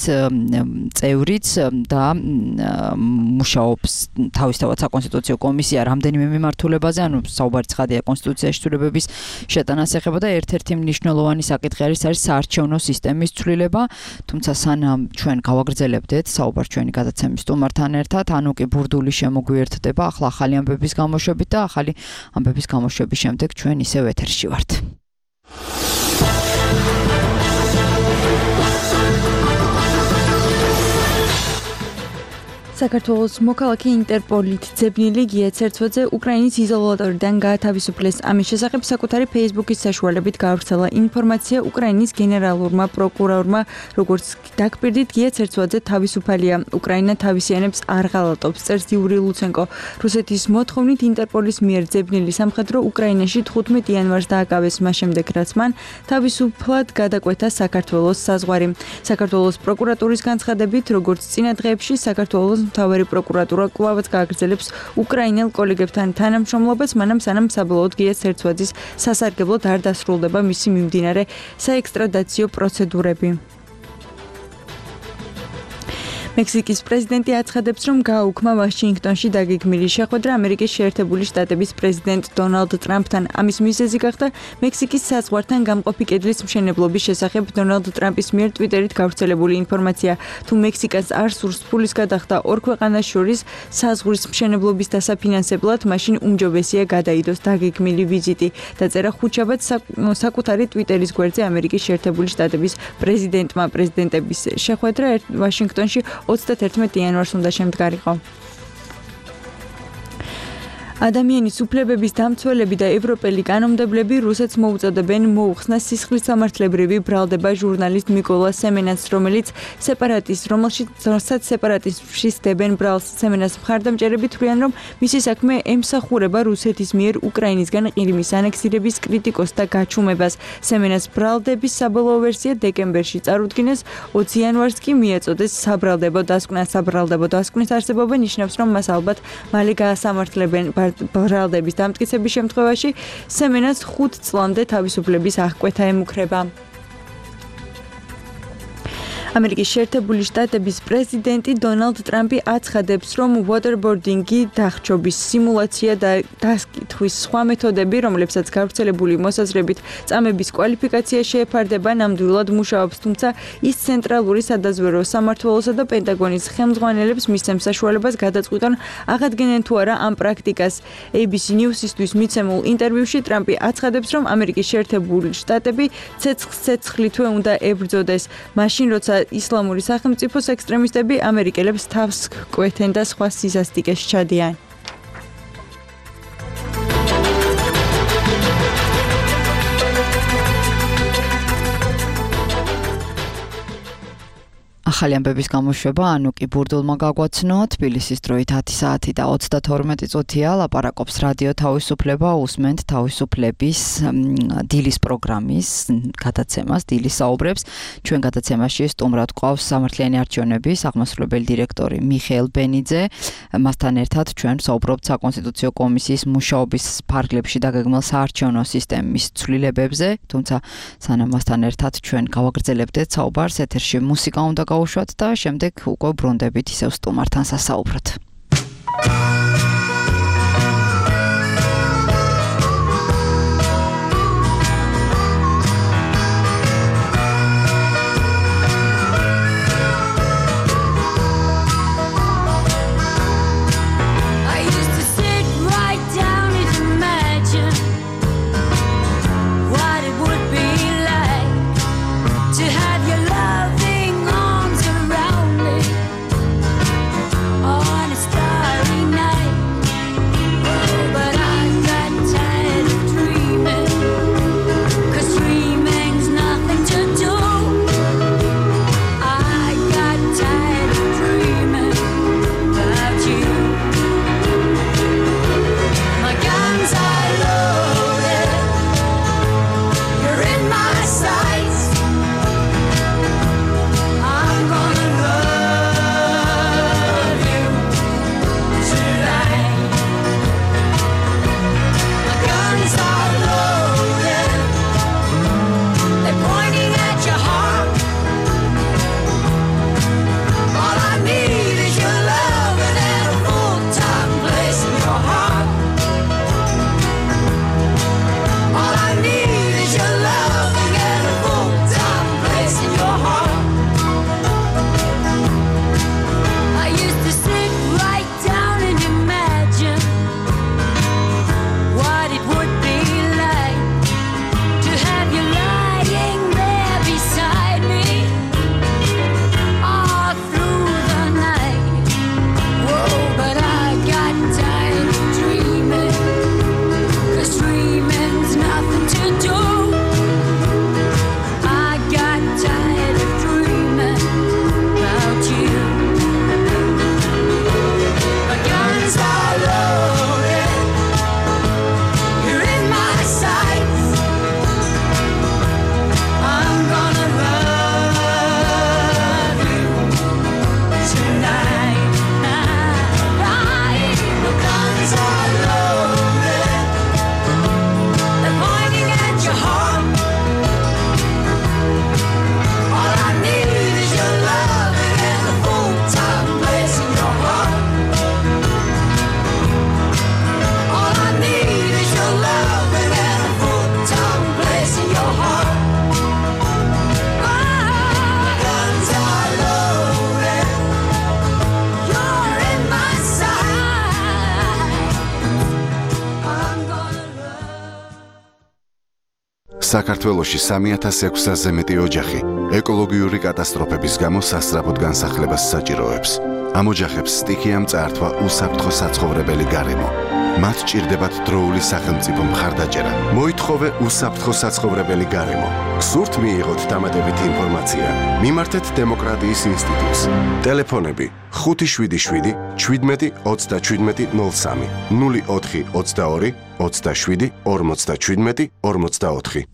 წევრიც და მუშაობს თავისთავად საკონსტიტუციო კომისია რამდენიმე მიმართულებაზე ანუ საუბარი ცხადია კონსტიტუციაში ცვლილებების შეტანას ეხება და ერთ-ერთი მნიშვნელოვანი საკითხი არის საარჩევნო სისტემის ცვლილება თუმცა სანამ ჩვენ გავაგრძელებდეთ საუბარს ჩვენი გადაცემის სტუმართან ერთად ანუ კი ბურდული შემოგვიერთდება ახლა ახალი ამბების გამოშვებით და ახალი ამბების გამოშვების შემდეგ ჩვენ ისევ ეთერში ვართ საქართველოს მოქალაქე ინტერპოლით ძებნილი გია ცერცვაძე უკრაინის იზოლატორიდან გაათავისუფლეს. ამის შესახებ საკუთარი Facebook-ის საშუალებით გავრცელა ინფორმაცია უკრაინის გენერალურმა პროკურორმა, როგორც დაგპირდით გია ცერცვაძე თავისუფალია. უკრაინა თავისიანებს არ ღალატობს, წერს იური ლუცენკო. რუსეთის მოთხოვნით ინტერპოლის მიერ ძებნილი სამხედრო უკრაინაში 15 იანვარს დააკავეს, მას შემდეგ რაც მან თავისუფლად გადაკვეთა საქართველოს საზღვარი. საქართველოს პროკურატურის განცხადებით, როგორც წინა დღეებში საქართველოს მთავარი პროკურატურა კვლავაც გააგრძელებს უკრაინელ კოლეგებთან თანამშრომლობას, მანამ სანამ საბოლოოდ გია ცერცვაძის სასარგებლოდ არ დასრულდება მისი მიმდინარე საექსტრადაციო პროცედურები. მექსიკის პრეზიდენტი აცხადებს, რომ გააუქმა ვაშინგტონში დაგეგმილი შეხვედრა ამერიკის შეერთებული შტატების პრეზიდენტ დონალდ ტრამპთან. ამის მიზეზი გახდა მექსიკის საზღვართან გამყოფი კედლის მშენებლობის შესახებ დონალდ ტრამპის მიერ ტვიტერით გავრცელებული ინფორმაცია. თუ მექსიკას არ სურს ფულის გადახდა ორ ქვეყანას შორის საზღვრის მშენებლობის დასაფინანსებლად, მაშინ უმჯობესია გადაიდოს დაგეგმილი ვიზიტი. დაწერა ხუთშაბათს საკუთარი ტვიტერის გვერდზე ამერიკის შეერთებული შტატების პრეზიდენტმა. პრეზიდენტების შეხვედრა ვაშინგტონში 31 იანვარს უნდა შემდგარიყო. ადამიანის უფლებების დამცველები და ევროპელი კანონმდებლები რუსეთს მოუწოდებენ მოუხსნას სისხლის სამართლებრივი ბრალდება ჟურნალისტ მიკოლა სემენას, რომელიც სეპარატიზმში სდებენ ბრალს. სემენას მხარდამჭერები თვლიან, რომ მისი საქმე ემსახურება რუსეთის მიერ უკრაინისგან ყირიმის ანექსირების კრიტიკოსთა გაჩუმებას. სემენას ბრალდების საბოლოო ვერსია დეკემბერში წარუდგინეს, 20 იანვარს კი მიეწოდეს საბრალდებო დასკვნა. საბრალდებო დასკვნის არსებობა ნიშნავს, რომ მას ალბათ მალე გაასამართლებენ. ბრალდების დამტკიცების შემთხვევაში სემენას 5 წლამდე თავისუფლების აღკვეთა ემუქრება. ამერიკის შეერთებული შტატების პრეზიდენტი დონალდ ტრამპი აცხადებს, რომ waterboarding-ი დახჭობის სიმულაცია და დასკითხვის სხვა მეთოდები, რომლებსაც გავრცელებული მოსაზრებით წამების კვალიფიკაცია შეეფარდება, ნამდვილად მუშაობს, თუმცა ის ცენტრალური სადაზვერვო სამმართველოსა და პენტაგონის ხელმძღვანელებს მისცემს საშუალებას გადაწყვიტონ აღადგენენ თუ არა ამ პრაქტიკას. ABC News-ისთვის მიცემულ ინტერვიუში ტრამპი აცხადებს, რომ ამერიკის შეერთებული შტატები ცეცხლითვე უნდა ებრძოდეს, მაშინ როცა ისლამური სახელმწიფოს ექსტრემისტები ამერიკელებს თავს კვეთენ და სხვა სისასტიკეს ჩადიან. ახალი ამბების გამოშვება, ანუ კი ბურდულმა გაგვაცნო, თბილისის დროით 10 საათი და 32 წუთია, ლაპარაკობს რადიო თავისუფლება, უსმენთ თავისუფლების დილის პროგრამის გადაცემას, დილის საუბრებს. ჩვენ გადაცემაში სტუმრად გვყავს სამართლიანი არჩევნების აღმასრულებელი დირექტორი მიხეილ ბენიძე. მასთან ერთად ჩვენ საუბრობთ საკონსტიტუციო კომისიის მუშაობის ფარგლებში დაგეგმილ საარჩევნო სისტემის ცვლილებებზე, თუმცა სანამ მასთან ერთად ჩვენ გავაგრძელებდეთ საუბარს, ეთერში მუსიკა უნდა გავუშვათ და შემდეგ უკვე ბრუნდებით ისევ სტუმართან სასაუბროთ. საქართველოში 3600-ზე მეტი ოჯახი ეკოლოგიური კატასტროფების გამო სასწრაფოდ განსახლებას საჭიროებს. ამ ოჯახებს სტიქიამ წაართვა უსაფრთხო საცხოვრებელი გარემო. მათ ჭირდებათ დროული სახელმწიფო მხარდაჭერა. მოითხოვე უსაფრთხო საცხოვრებელი გარემო. გსურთ მიიღოთ დამატებითი ინფორმაცია? მიმართეთ დემოკრატიის ინსტიტუტს. ტელეფონები 577 17 37 03 04 22 27 57 44.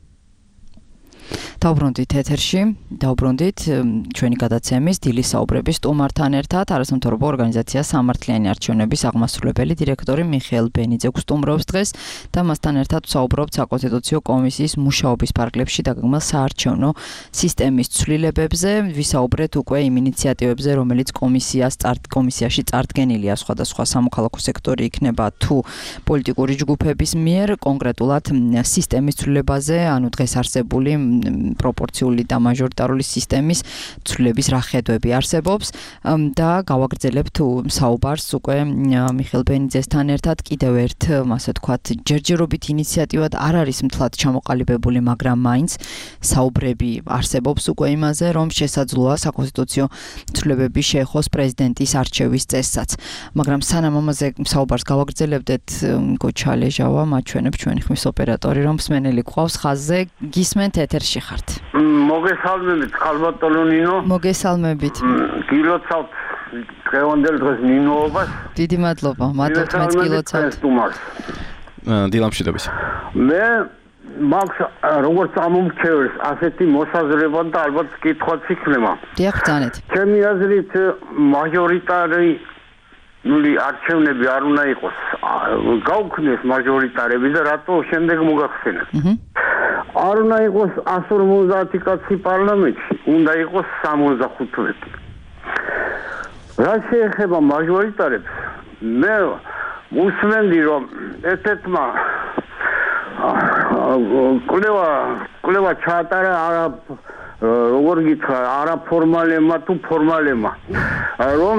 დავბრუნდით ეთერში, დავბრუნდით ჩვენი გადაცემის დილის საუბრების სტუმართან ერთად არასამთავრობო ორგანიზაცია სამართლიანი არჩევნების აღმასრულებელი დირექტორი მიხეილ ბენიძე გვსტუმრობს დღეს და მასთან ერთად ვსაუბრობთ საკონსტიტუციო კომისიის მუშაობის ფარგლებში დაგეგმილ საარჩევნო სისტემის ცვლილებებზე, ვისაუბრეთ უკვე იმ ინიციატივებზე, რომელიც კომისიაში წარდგენილია სხვადასხვა სამოქალაქო სექტორი იქნება თუ პოლიტიკური ჯგუფების მიერ, კონკრეტულად სისტემის ცვლილებაზე, ანუ დღეს არსებული პროპორციული და მაჟორიტარული სისტემის ცვლილების რა ხედვები არსებობს და გავაგრძელებთ საუბარს უკვე მიხეილ ბენიძესთან ერთად კიდევ ერთ ასე ვთქვათ ჯერჯერობით ინიციატივად არ არის მთლად ჩამოყალიბებული, მაგრამ მაინც საუბრები არსებობს უკვე იმაზე, რომ შესაძლოა საკონსტიტუციო ცვლილებები შეეხოს პრეზიდენტის არჩევის წესსაც. მაგრამ სანამ ამაზე საუბარს გავაგრძელებდეთ, გოჩა ლეჟავა მაჩვენებს ჩვენი ხმის ოპერატორი, რომ მსმენელი გვყავს ხაზზე, გისმენთ ეთერში ხართ. მოგესალმებით, ხალბატონო ნინო. მოგესალმებით. გილოცავთ დღევანდელ დღეს ნინოობას. დიდი მადლობა, მადლობთ მეც გილოცავთ. დილამშვიდობის. მე მაქვს როგორც ამომრჩეველს ასეთი მოსაზრება და ალბათ კითხვაც იქნება. დიახ, ბრძანეთ. ჩემი აზრით მაჟორიტარი არჩევნები არ უნდა იყოს. გაუქმდეს მაჟორიტარები და რატო შემდეგ მოგახსენებთ. არ უნდა იყოს 150 კაცი პარლამენტში, უნდა იყოს 65. რაც შეეხება მაჟორიტარებს, მე უსმენდი რომ ერთ-ერთმა კვლევა ჩაატარა როგორ გითხრა, არაფორმალებმა თუ ფორმალებმა, რომ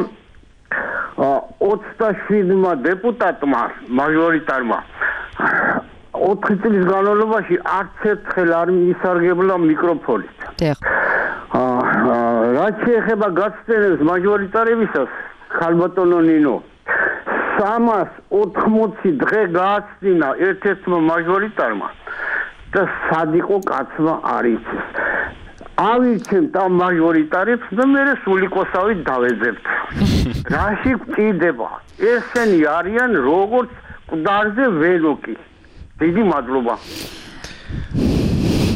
27 დეპუტატმა მაჟორიტარმა 4 წლის განმავლობაში არც ერთხელ არ მისარგებლა მიკროფონით. რაც შეეხება გაცდენებს მაჟორიტარებისას, ხალბატონო ნინო, 380 დღე გააცდინა ერთ-ერთმა მაჟორიტარმა და სად იყო კაცმა არ იცის. ავირჩევთ ამ მაჟორიტარებს და მე სულიკოსავით დავეძებთ. რაში გვჭირდება? ესენი არიან როგორც მკვდარზე ვენოკი. დიდი მადლობა.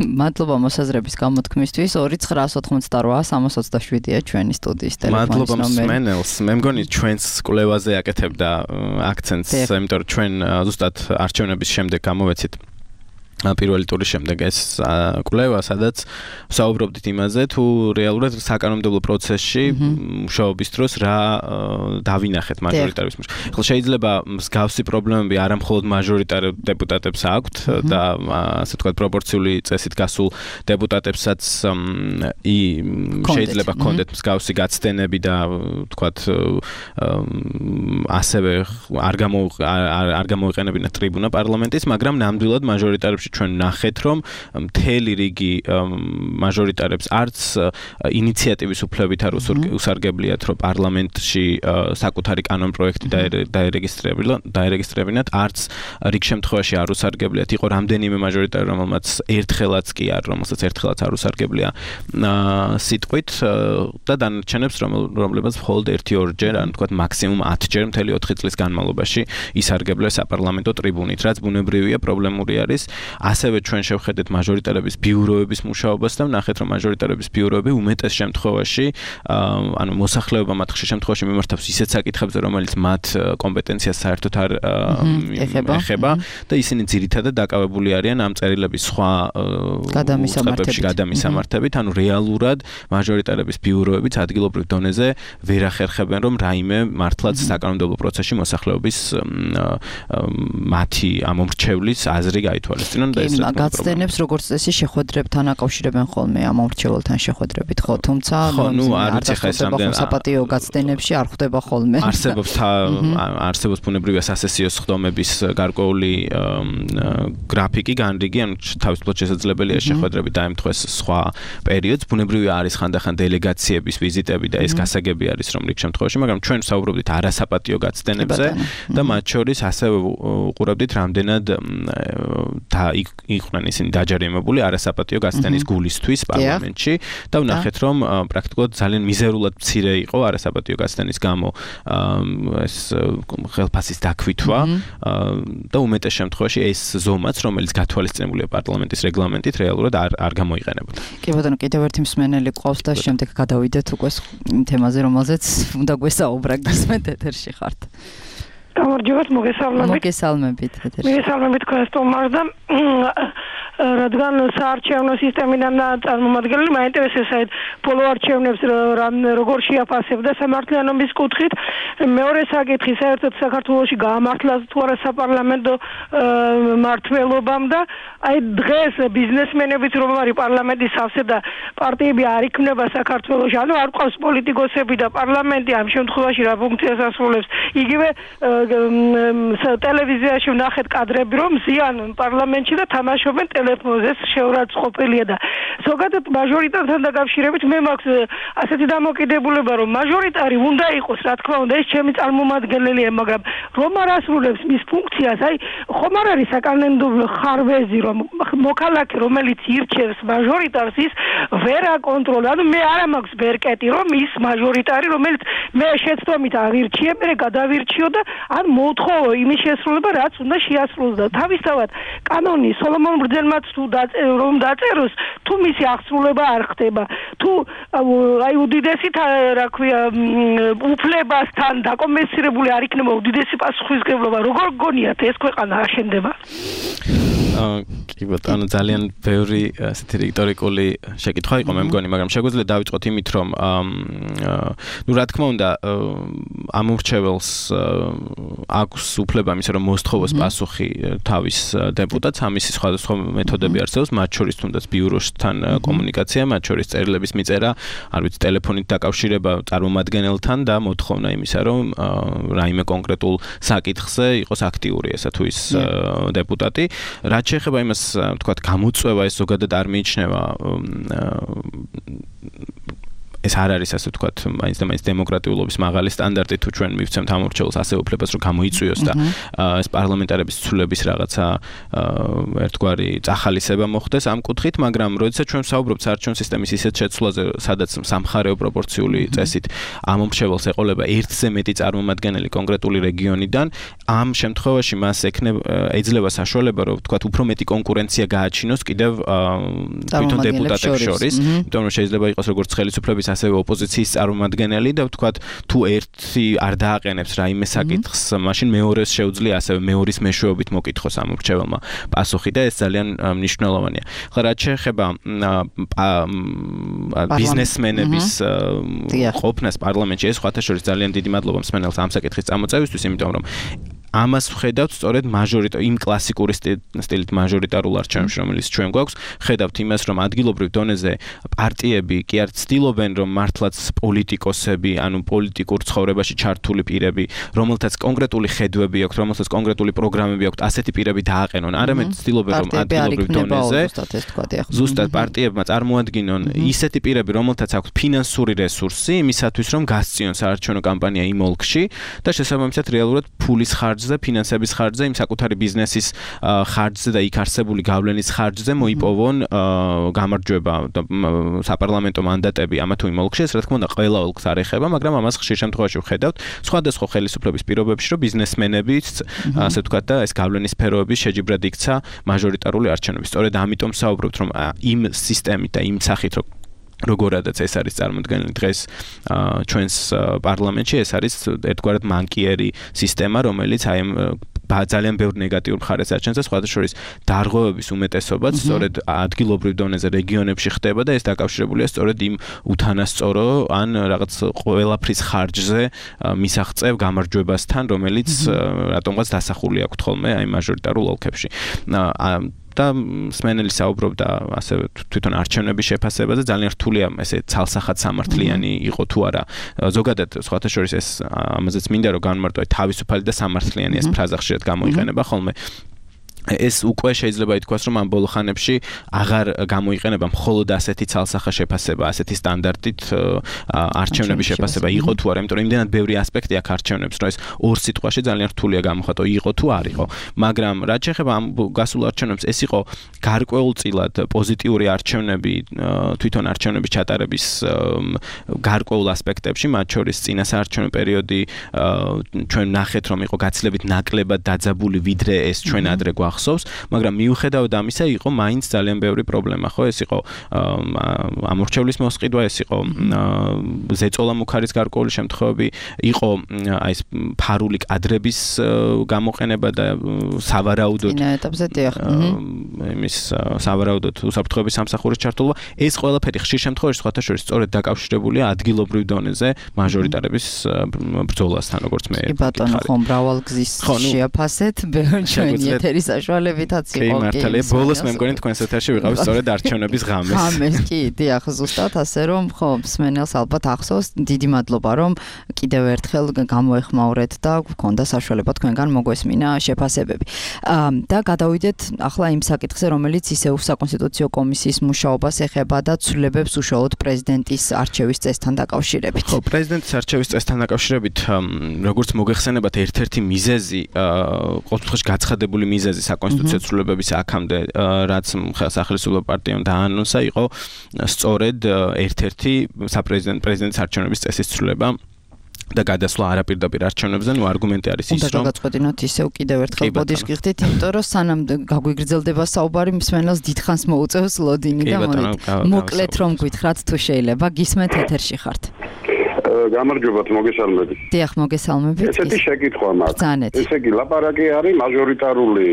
მადლობა მოსაზრების გამოთქმისთვის. 2988327-ია ჩვენი სტუდიის ტელეფონის ნომერი. მადლობა მსმენელს. მე მგონი ჩვენს კვლევაზე აკეთებდა აქცენტს, იმიტომ რომ ჩვენ ზუსტად არჩევნების შემდეგ გამოვეცით პირველი ტურის შემდეგ ეს კვლევა, სადაც ვსაუბრობდით იმაზე, თუ რეალურად საკანონმდებლო პროცესში მუშაობის დროს რა დავინახეთ მაჟორიტარების მიერ. ახლა შეიძლება მსგავსი პრობლემები არა მხოლოდ მაჟორიტარ დეპუტატებს აქვთ და ასე ვთქვათ პროპორციული წესით გასულ დეპუტატებსაც შეიძლება ჰქონდეთ მსგავსი გაცდენები და ვთქვათ ასევე არ გამოიყენებინათ ტრიბუნა პარლამენტის, მაგრამ ნამდვილად მაჟორიტარებში ჩვენ ნახეთ, რომ მთელი რიგი მაჟორიტარებს არც ინიციატივის უფლებით არ უსარგებლიათ, რომ პარლამენტში საკუთარი კანონპროექტი დაერეგისტრებინათ, არც რიგ შემთხვევაში არ უსარგებლიათ. იყო რამდენიმე მაჟორიტარი, რომელმაც ერთხელაც არ უსარგებლია სიტყვით და დანარჩენებს, რომლებიც მხოლოდ 1-2 ან თქვათ მაქსიმუმ 10 მთელი 4 წლის განმავლობაში ისარგებლეს საპარლამენტო ტრიბუნით, რაც ბუნებრივია, პრობლემური არის. ასევე ჩვენ შევხედეთ მაჟორიტარების ბიუროების მუშაობას და ვნახეთ, რომ მაჟორიტარების ბიუროები უმეტეს შემთხვევაში, ანუ მოსახლეობა მათ ხშირ შემთხვევაში მიმართავს ისეთ საკითხებზე, რომელიც მათ კომპეტენციას საერთოდ არ ეხება და ისინი ძირითადად დაკავებული არიან ამ წერილების სხვა გადამისამართებით, ანუ რეალურად მაჟორიტარების ბიუროებიც ადგილობრივ დონეზე ვერ ახერხებენ, რომ რაიმე მართლაც საკანონმდებლო პროცესში მოსახლეობის მათი ამომრჩევლის აზრი გაითვალისწინოს. ჩაეშინონ და ეს გაცდენებს როგორც წესი შეხვედრებთან აკავშირებენ ხოლმე ამ მომრჩეველთან შეხვედრებით ხო თუმცა არც ხა ეს რამდენი საპატიო გაცდენებში არ ხვდება ხოლმე არსებობს ბუნებრივი სასესიო სხდომების გარკვეული გრაფიკი განრიგი ან თავისუფლად შესაძლებელია შეხვედრები დაემთხვეს სხვა პერიოდს ბუნებრივი არის ხანდახან დელეგაციების ვიზიტები და ეს გასაგები არის რომ რიგ შემთხვევაში მაგრამ ჩვენ ვსაუბრობდით არასაპატიო გაცდენებზე და მათ შორის ასევე უყურებდით რამდენად იყვნენ ისინი დაჯერიმებული არასაპატიო გაცდენის გულისთვის პარლამენტში და ვნახეთ რომ პრაქტიკულად ძალიან მიზერულად მცირე იყო არასაპატიო გაცდენის გამო ეს ხელფასის დაქვითვა და უმეტეს შემთხვევაში ეს ზომაც რომელიც გათვალისწინებულია პარლამენტის რეგლამენტით რეალურად არ გამოიყენებოდა. კი ბატონო კიდევ ერთი მსმენელი ყავს და შემდეგ გადავიდეთ უკვე თემაზე რომელზეც უნდა გვესაუბრა გისმენთ ეთერში ხართ. გამარჯობათ მოგესალმებით ეთერში. მოგესალმებით ქართულმარ და რადგან საარჩევნო სისტემიდან წარმომადგენელი მაინტერესებს ბოლო არჩევნებს როგორ შეაფასებდა სამართლიანობის კუთხით მეორე საკითხი საერთოდ საქართველოში გაამართლა თუ არა საპარლამენტო მმართველობამ და აი დღეს ბიზნესმენებიც რომ არის პარლამენტის სავსე და პარტიები არ იქნება საქართველოში ანუ არ ყავს პოლიტიკოსები და პარლამენტი ამ შემთხვევაში რა ფუნქციას ასრულებს იგივე ტელევიზიაში ვნახეთ კადრები რომ ზიან პარლამენტში და თამაშობენ ტელეფონზე შეურაცხყოფელია და ზოგადად მაჟორიტართან დაკავშირებით მე მაქვს ასეთი დამოკიდებულება რომ მაჟორიტარი უნდა იყოს რა თქმა უნდა ეს ჩემი წარმომადგენელია მაგრამ რომ არ ასრულებს მის ფუნქციას აი ხომ არ არის საკანონმდებლო ხარვეზი რომ მოქალაქე რომელიც ირჩევს მაჟორიტარს ის ვერ აკონტროლებს ანუ მე არ მაქვს ბერკეტი რომ ის მაჟორიტარი რომელიც მე შეცდომით აღირჩიე მე გადავირჩიო და ან მოთხოვო იმის შესრულება რაც უნდა შეასრულოს და თავისთავად კანონი სოლომონ ბრძენმაც თუ რომ დაწეროს თუ მისი აღსრულება არ ხდება თუ აი უდიდესი რა ქვია უფლებასთან დაკომპენსირებული არ იქნება უდიდესი პასუხისმგებლობა როგორ გონიათ ეს ქვეყანა აშენდება კი ბატონო ძალიან ბევრი ასეთი რიტორიკული შეკითხვა იყო მე მგონი მაგრამ შეგვიძლია დავიწყოთ იმით რომ ნუ რა თქმა უნდა ამორჩეველს აქვს უფლება იმისა რომ მოსთხოვოს პასუხი თავის დეპუტატს ამისი სხვადასხვა მეთოდები არსებობს მათ შორის თუნდაც ბიუროსთან კომუნიკაცია მათ შორის წერილების მიწერა არ ვიცი ტელეფონით დაკავშირება წარმომადგენელთან და მოთხოვნა იმისა რომ რაიმე კონკრეტულ საკითხზე იყოს აქტიური ესა თუ ის დეპუტატი რაც შეეხება იმას თქვათ გამოწვევა ეს ზოგადად არ მიიჩნევა ეს არ არის ასე ვთქვათ, მაინც და მაინც დემოკრატიულობის მაღალი სტანდარტი თუ ჩვენ მივცემთ ამორჩეულს ასე უფლებას რომ გამოიწვიოს და ეს პარლამენტარების ცვლილების რაღაცა ერთგვარი წახალისება მოხდეს ამ კუთხით, მაგრამ როდესაც ჩვენ ვსაუბრობთ საარჩევნო სისტემის ისეთ შეცვლაზე, სადაც სამხარეო პროპორციული წესით ამორჩეულს ეყოლება ერთზე მეტი წარმომადგენელი კონკრეტული რეგიონიდან, ამ შემთხვევაში მას ეძლევა საშუალება რომ ვთქვათ უფრო მეტი კონკურენცია გააჩინოს კიდევ თვითონ დეპუტატებს შორის, იმიტომ რომ შეიძლება იყოს როგორც ხელისუფლების ასევე ოპოზიციის წარმომადგენელი და ვთქვათ თუ ერთი არ დააყენებს რაიმე საკითხს, მაშინ მეორეს შეუძლია ასევე მეორის მეშვეობით მოკითხოს ამ მრჩეველმა პასუხი და ეს ძალიან მნიშვნელოვანია. ხლა რაც შეეხება ბიზნესმენების ყოფნას პარლამენტში, ეს სხვათა შორის ძალიან დიდი მადლობა მსმენელს ამ საკითხის წამოწევისთვის, იმიტომ რომ ამას ვხედავთ სწორედ იმ კლასიკური სტილით მაჟორიტარულ არჩევნებში, რომელიც ჩვენ გვაქვს, ხედავთ იმას, რომ ადგილობრივ დონეზე პარტიები კი არ ცდილობენ, რომ მართლაც პოლიტიკოსები, ანუ პოლიტიკურ ცხოვრებაში ჩართული პირები, რომელთაც კონკრეტული ხედვები აქვთ, რომელთაც კონკრეტული პროგრამები აქვთ, ასეთი პირები დააყენონ. არამედ ცდილობენ, რომ ადგილობრივ დონეზე ზუსტად პარტიებმა წარმოადგინონ ისეთი პირები, რომელთაც აქვთ ფინანსური რესურსი, იმისათვის, რომ გასწიონ საარჩევნო კამპანია იმ ოლქში და შესაბამისად რეალურად ფულის ხარჯზე, ფინანსების ხარჯზე, იმ საკუთარი ბიზნესის ხარჯზე და იქ არსებული გავლენის ხარჯზე მოიპოვონ გამარჯვება და საპარლამენტო მანდატები ამა თუ იმ ოლქში, ეს რა თქმა უნდა ყველა ოლქს არ ეხება, მაგრამ ამას ხშირ შემთხვევაში ვხედავთ სხვადასხვა ხელისუფლების პირობებში, რომ ბიზნესმენებიც, ასე ვთქვათ და ეს გავლენის სფეროების შეჯიბრად იქცა მაჟორიტარული არჩევნები. სწორედ ამიტომ ვსაუბრობთ, რომ იმ სისტემით და იმ სახით როგორადაც ეს არის წარმოქმნილი დღეს ჩვენს პარლამენტში, ეს არის ერთგვარად მანკიერი სისტემა, რომელიც აი ძალიან ბევრ ნეგატიურ მხარეს აჩენს და სხვათა შორის დარღვევების უმეტესობაც სწორედ ადგილობრივ დონეზე რეგიონებში ხდება და ეს დაკავშირებულია სწორედ იმ უთანასწორო ან რაღაც ყველაფრის ხარჯზე მისაღწევ გამარჯვებასთან, რომელიც რატომღაც დასახული აქვს ხოლმე აი მაჟორიტარულ ოლქებში. და სმენელი საუბრობდა ასევე თვითონ არჩევნების შეფასებაზე ძალიან რთულია ესე ცალსახად სამართლიანი იყო თუ არა ზოგადად სხვათა შორის ეს ამაზეც მინდა რომ განმარტო თავისუფალი და სამართლიანი ეს ფრაზა ხშირად გამოიყენება ხოლმე ეს უკვე შეიძლება ითქვას რომ ამ ბოლო ხანებში აღარ გამოიყენება მხოლოდ ასეთი ცალსახა შეფასება, ასეთი სტანდარტით არჩევნების შეფასება იყო თუ არა, იმიტომ რომ იმდენად ბევრი ასპექტი აქვს არჩევნებს, რომ ეს ორ სიტყვაში ძალიან რთულია გამოხატო, იყო თუ არ იყო. მაგრამ რაც შეეხება ამ გასულ არჩევნებს, ეს იყო გარკვეულწილად პოზიტიური არჩევნები თვითონ არჩევნების ჩატარების გარკვეულ ასპექტებში, მათ შორის წინა საარჩევნო პერიოდი ჩვენ ნახეთ რომ იყო გაცილებით ნაკლებად დაძაბული ვიდრე ეს ჩვენ ადრე ახსოვს, მაგრამ მიუხედავად ამისა იყო მაინც ძალიან ბევრი პრობლემა, ხო? ეს იყო ამორჩევლის მოსყიდვა, ეს იყო ზეწოლა მუქარის გარკვეული შემთხვევები, იყო აი ეს ფარული კადრების გამოყენება და სავარაუდოდ იმის სავარაუდოდ უსაფრთხოების სამსახურის ჩართულობა, ეს ყველაფერი ხშირ შემთხვევაში სხვათა შორის სწორედ დაკავშირებულია ადგილობრივ დონეზე მაჟორიტარების ბრძოლასთან, როგორც მე. კი ბატონო, ხო, მრავალგზის შეაფასეთ, ჩვენი ეთერის საშუალებითაც იყო. კი, მართალია, ბოლოს მე მგონი თქვენს ეთერში ვიყავ სწორედ არჩევნების ღამეს. ღამეს, კი, დიახ, ზუსტად ასე რომ, ხო, მსმენელს ალბათ ახსოვს, დიდი მადლობა რომ კიდევ ერთხელ გამოეხმაურეთ და გქონდა საშუალება თქვენგან მოგვესმინა შეფასებები. და გადავიდეთ ახლა იმ საკითხზე, რომელიც ისევ საკონსტიტუციო კომისიის მუშაობას ეხება და ცვლილებებს უშუალოდ პრეზიდენტის არჩევის წესთან დაკავშირებით. ხო, პრეზიდენტის არჩევის წესთან დაკავშირებით, როგორც მოგეხსენებათ, ერთ-ერთი მიზეზი, ყოველთვის გაცხადებული მიზეზი საკონსტიტუციო ცვლილებების აქამდე, რაც სახელმწიფო პარტიამ დაანონსა, იყო სწორედ ერთ-ერთი პრეზიდენტის არჩევნების წესის ცვლილება და გადასვლა არაპირდაპირ არჩევნებზე, ნუ არგუმენტი არის ის, რომ გადაწყვეტინოთ ისევ კიდევ ერთხელ ბოდიშს გიხდით, იმიტომ რომ სანამ გაგვიგრძელდება საუბარი, მსმენელს დიდხანს მოუწევს ლოდინი და მოკლედ რომ გითხრათ თუ შეიძლება, გისმენთ ეთერში ხართ. გამარჯობათ, მოგესალმებით. დიახ, მოგესალმებით. ესეთი შეკითხვა მაქვს. ესე იგი, ლაპარაკი არის მაჟორიტარული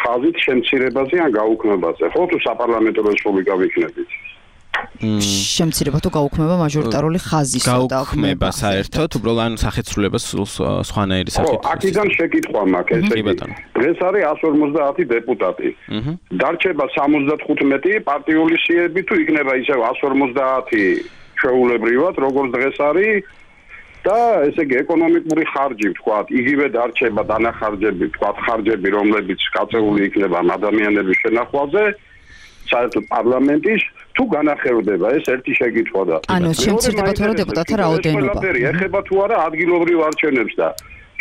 ხაზით შემცირებაზე ან გაუქმებაზე, ხო თუ საპარლამენტო რესპუბლიკა ვიქნებით? შემცირება თუ გაუქმება მაჟორიტარული ხაზის გაუქმება საერთოდ, უბრალოდ ან სახეცვლილებას სხვანაირი სახით. ხო, აქედან შეკითხვა მაქვს, ესე იგი. დღეს არის 150 დეპუტატი. დარჩება 75 პარტიული სიები თუ იქნება ისევ 150 შეულებრივად, როგორც დღეს არის და ესე იგი ეკონომიკური ხარჯი ვთქვათ, იგივე დარჩება დანახარჯები, ვთქვათ, ხარჯები, რომლებიც გაწეული იქნება ადამიანების შენახვაზე, საერთოდ პარლამენტის თუ განახერხდება, ეს ერთი შეკითხვა და ანუ შემცირდება თუ არა დეპუტატთა რაოდენობა. ეხება თუ არა ადგილობრივ არჩევნებს და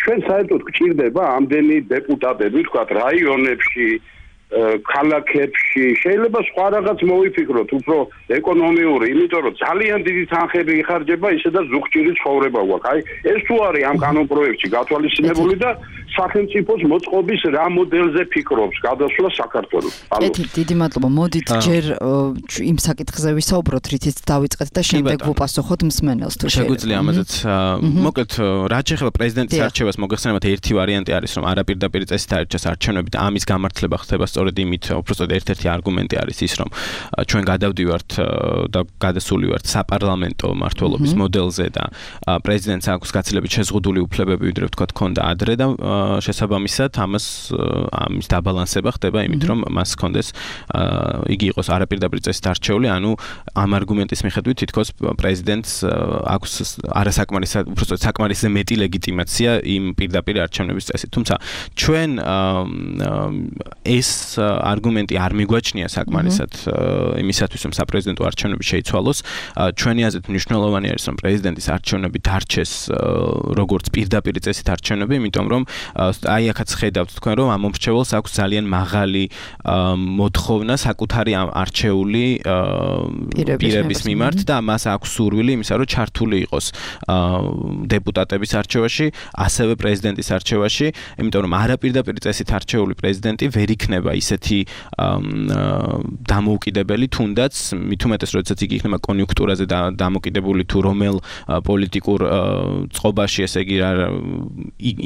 ჩვენ საერთოდ გვჭირდება ამდენი დეპუტატები, ვთქვათ, რაიონებში ქალაქებში შეიძლება სხვა რაღაც მოვიფიქროთ, უფრო ეკონომიური, იმიტომ რომ ძალიან დიდი თანხები იხარჯება ისე და ზუგჭირი ცხოვრება გვაქვს. აი, ეს თუ არის ამ კანონპროექტში გათვალისწინებული და სახელმწიფოს მოწყობის რა მოდელზე ფიქრობს გადასვლა საქართველოს. დიდი მადლობა. მოდით ჯერ იმ საკითხზე ვისაუბროთ, რითიც დავიწყეთ და შემდეგ ვუპასუხოთ მსმენელს თუ შეგვიძლია ამაზეც. მოკლედ, რაც შეეხება პრეზიდენტის არჩევას, მოგეხსენებათ, ერთი ვარიანტი არის, რომ არაპირდაპირ წესით არჩევას არჩევნები და ამის გამართლება ხდება სწორედ იმით, უბრალოდ ერთ-ერთი არგუმენტი არის ის, რომ ჩვენ გადავდივართ და გადასული ვართ საპარლამენტო მმართველობის მოდელზე და პრეზიდენტს აქვს გაცილებით შეზღუდული უფლებები, ვიდრე ვთქვათ, ქონდა ადრე და შესაბამისად ამის დაბალანსება ხდება იმით, რომ მას ჰქონდეს იგი იყოს არაპირდაპირ წესით არჩეული, ანუ ამ არგუმენტის მიხედვით თითქოს პრეზიდენტს აქვს არასაკმარისად, უბრალოდ საკმარისზე მეტი ლეგიტიმაცია იმ პირდაპირ არჩევნების წესით. თუმცა ჩვენ ეს არგუმენტი არ მიგვაჩნია საკმარისად იმისათვის, რომ საპრეზიდენტო არჩევნები შეიცვალოს. ჩვენი აზრით მნიშვნელოვანი არის, რომ პრეზიდენტის არჩევნები დარჩეს როგორც პირდაპირ წესით არჩევნები, იმიტომ რომ აი აქაც ხედავთ თქვენ, რომ ამ მომრჩეველს აქვს ძალიან მაღალი მოთხოვნა საკუთარი არჩეული პირების მიმართ და მას აქვს სურვილი იმისა, რომ ჩართული იყოს დეპუტატების არჩევაში, ასევე პრეზიდენტის არჩევაში, იმიტომ რომ არაპირდაპირ წესით არჩეული პრეზიდენტი ვერ იქნება ისეთი დამოუკიდებელი, თუნდაც მით უმეტეს, როდესაც იგი იქნება კონიუნქტურაზე დამოკიდებული თუ რომელ პოლიტიკურ წყობაში, ესე იგი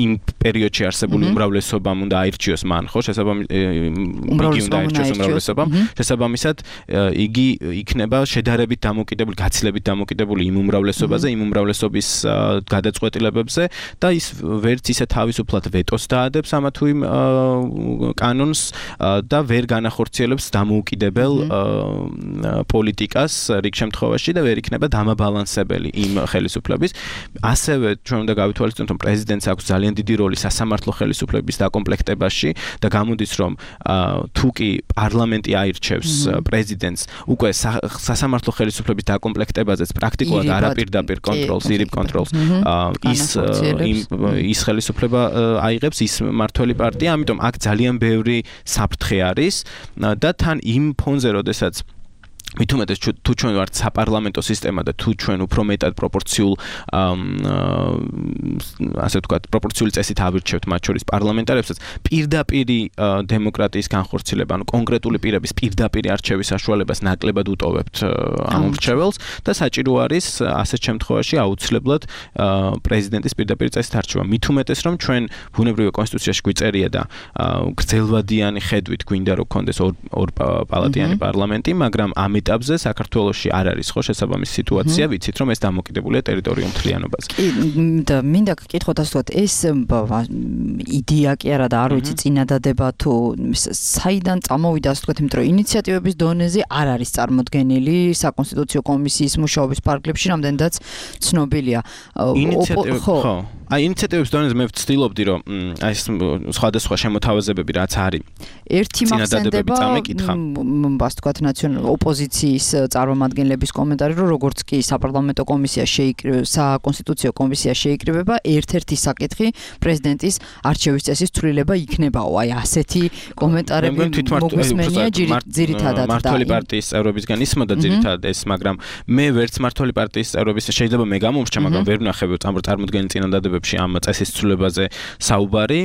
იმ პერიოდში არსებული უმრავლესობამ უნდა აირჩიოს მან, ხო, შესაბამისად იგი იქნება შედარებით დამოკიდებული, გაცილებით დამოკიდებული იმ უმრავლესობაზე, იმ უმრავლესობის გადაწყვეტილებებზე და ის ვერც ისე თავისუფლად ვეტოს დაადებს ამა თუ იმ კანონს, და ვერ განახორციელებს დამოუკიდებელ პოლიტიკას რიგ შემთხვევაში და ვერ იქნება დამაბალანსებელი იმ ხელისუფლების. ასევე ჩვენ უნდა გავითვალისწინოთ, რომ პრეზიდენტს აქვს ძალიან დიდი როლი სასამართლო ხელისუფლების დაკომპლექტებაში და გამოდის, რომ თუ კი პარლამენტი აირჩევს პრეზიდენტს, უკვე სასამართლო ხელისუფლების დაკომპლექტებაზეც პრაქტიკულად არაპირდაპირ კონტროლს, ირიბ კონტროლს ის ხელისუფლება აიღებს ის მმართველი პარტია, ამიტომ აქ ძალიან ბევრი საფრთხე არის და თან იმ ფონზე, როდესაც მით უმეტეს თუ ჩვენ ვართ საპარლამენტო სისტემა და თუ ჩვენ უფრო მეტად პროპორციულ ასე ვთქვათ პროპორციული წესით ავირჩევთ მათ შორის პარლამენტარებსაც პირდაპირი დემოკრატიის განხორციელება, ანუ კონკრეტული პირების პირდაპირი არჩევის საშუალებას ნაკლებად უტოვებთ ამ მრჩეველს და საჭირო არის ასეთ შემთხვევაში აუცილებლად პრეზიდენტის პირდაპირი წესით არჩევა. მით უმეტეს რომ ჩვენ ბუნებრივი კონსტიტუციაში გვიწერია და გრძელვადიანი ხედვით გვინდა რომ გქონდეს ორ პალატიანი პარლამენტი, მაგრამ ამ ეტაპზე საქართველოში არ არის ხო შესაბამისი სიტუაცია, ვიცით რომ ეს დამოკიდებულია ტერიტორიულ მთლიანობაზე. და მინდა გკითხოთ ასე ვთქვათ, ეს იდეა კი არა და არ ვიცი წინადადება თუ საიდან წამოვიდა ასე ვთქვათ, იმიტომ რომ ინიციატივების დონეზე არ არის წარმოდგენილი საკონსტიტუციო კომისიის მუშაობის პარკლებში, რამდენადაც ცნობილია. ხო. ინიციატივების დონეზე მე ვცდილობდი რომ ეს სხვადასხვა შემოთავაზებები რაც არის ერთი მახსენდება ასე ვთქვათ ნაციონალური ოპოზიციის წარმომადგენლების კომენტარი რომ როგორც კი საპარლამენტო კომისია საკონსტიტუციო კომისია შეიკრიბება ერთ-ერთი საკითხი პრეზიდენტის არჩევის წესის ცვლილება იქნებაო. აი ასეთი კომენტარები მოგვისმენია ძირითადად მმართველი პარტიის წევრებისგან ისმოდა ძირითადად ეს, მაგრამ მე ვერც მმართველი პარტიის წევრების შეიძლება მე გამომრჩა, მაგრამ ვერ ვნახები წარმოდგენილ წინადადებებში ამ წესის ცვლილებაზე საუბარი.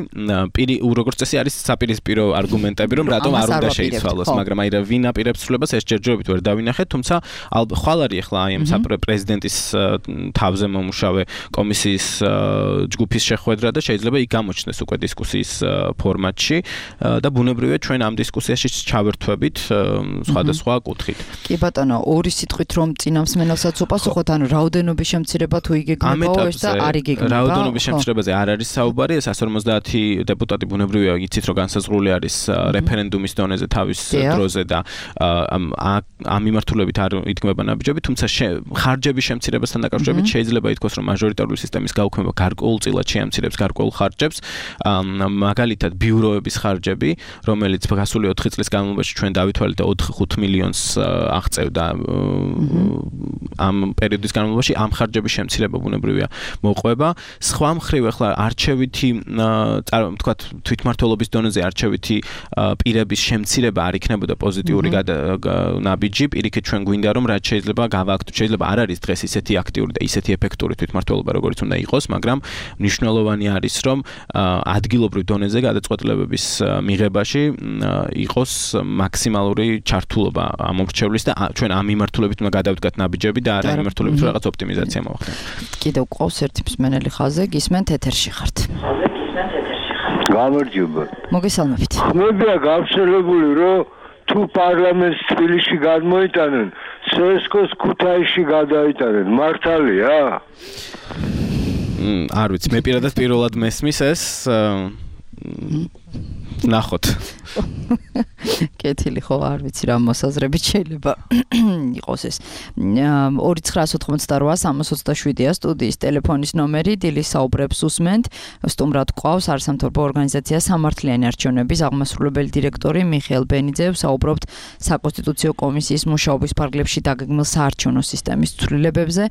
როგორც წესი არის საპირისპირო არგუმენტები, რომ რატომ არ უნდა შეიცვალოს, მაგრამ აი რა ვინ აპირებს ცვლილებას ეს ჯერჯერობით ვერ დავინახეთ, თუმცა ხვალ არის ახლა აი ამ პრეზიდენტის თავზე მომუშავე კომისიის ჯგუფის შეხვედრა და შეიძლება იქ გამოჩნდეს უკვე დისკუსიის ფორმატში და ბუნებრივია ჩვენ ამ დისკუსიაში ჩავერთვებით სხვადასხვა კუთხით. კი ბატონო, ორი სიტყვით რომ წინამსმენელსაც უპასუხოთ, ანუ რაოდენობის შემცირება თუ იგეგმებაო ეს და არ იგეგმება. რაოდენობის შემცირებაზე არ არის საუბარი, ეს 150 დეპუტატი ბუნებრივია იცით რომ განსაზღვრული არის რეფერენდუმის დონეზე თავის დროზე და ამ მიმართულებით არ იდგმება ნაბიჯები, თუმცა ხარჯების შემცირებასთან დაკავშირებით შეიძლება ითქვას, რომ მაჟორიტარული სისტემის გაუქმება გარკვეულწილად შეამცირებს გარკვეულ ხარჯებს, მაგალითად ბიუროების ხარჯები, რომელიც გასული 4 წლის განმავლობაში ჩვენ დავითვალეთ და 4-5 მილიონს აღწევდა ამ პერიოდის განმავლობაში, ამ ხარჯების შემცირება ბუნებრივია მოყვება. სხვა მხრივ ახლა არჩევითი ვთქვათ თვითმმართველობის დონეზე არჩევითი პირების შემცირება არ იქნებოდა პოზიტიური ნაბიჯი, პირიქით ჩვენ გვინდა რომ რაც შეიძლება გავაკეთოთ, შეიძლება არ არის დღეს ისეთი აქტიური და ისეთი ეფექტური თვითმმართველობა როგორც უნდა იყოს, მაგრამ მნიშვნელოვანი არის რომ ადგილობრივ დონეზე გადაწყვეტილებების მიღებაში იყოს მაქსიმალური ჩართულობა ამ მრჩევლის და ჩვენ ამ მიმართულებით უნდა გადავდგათ ნაბიჯები და არა იმ მიმართულებით რაღაც ოპტიმიზაცია მოვახდენთ. კიდევ ყავს ერთი მსმენელი ხაზზე, გისმენთ ეთერში ხართ. გამარჯობა. მოგესალმებით. ხმებია გავრცელებული რომ თუ პარლამენტს თბილისში გადმოიტანენ, სესკოს ქუთაისში გადაიტანენ, მართალია? არ ვიცი, მე პირადად პირველად მესმის ეს ნახოთ. კეთილი ხო, არ ვიცი რა მოსაზრებით შეიძლება იყოს ეს. 2988-327-ია სტუდიის ტელეფონის ნომერი, დილის საუბრებს უსმენთ. სტუმრად გვყავს არასამთავრობო ორგანიზაცია სამართლიანი არჩევნების აღმასრულებელი დირექტორი მიხეილ ბენიძე. საუბრობთ საკონსტიტუციო კომისიის მუშაობის ფარგლებში დაგეგმილ საარჩევნო სისტემის ცვლილებებზე.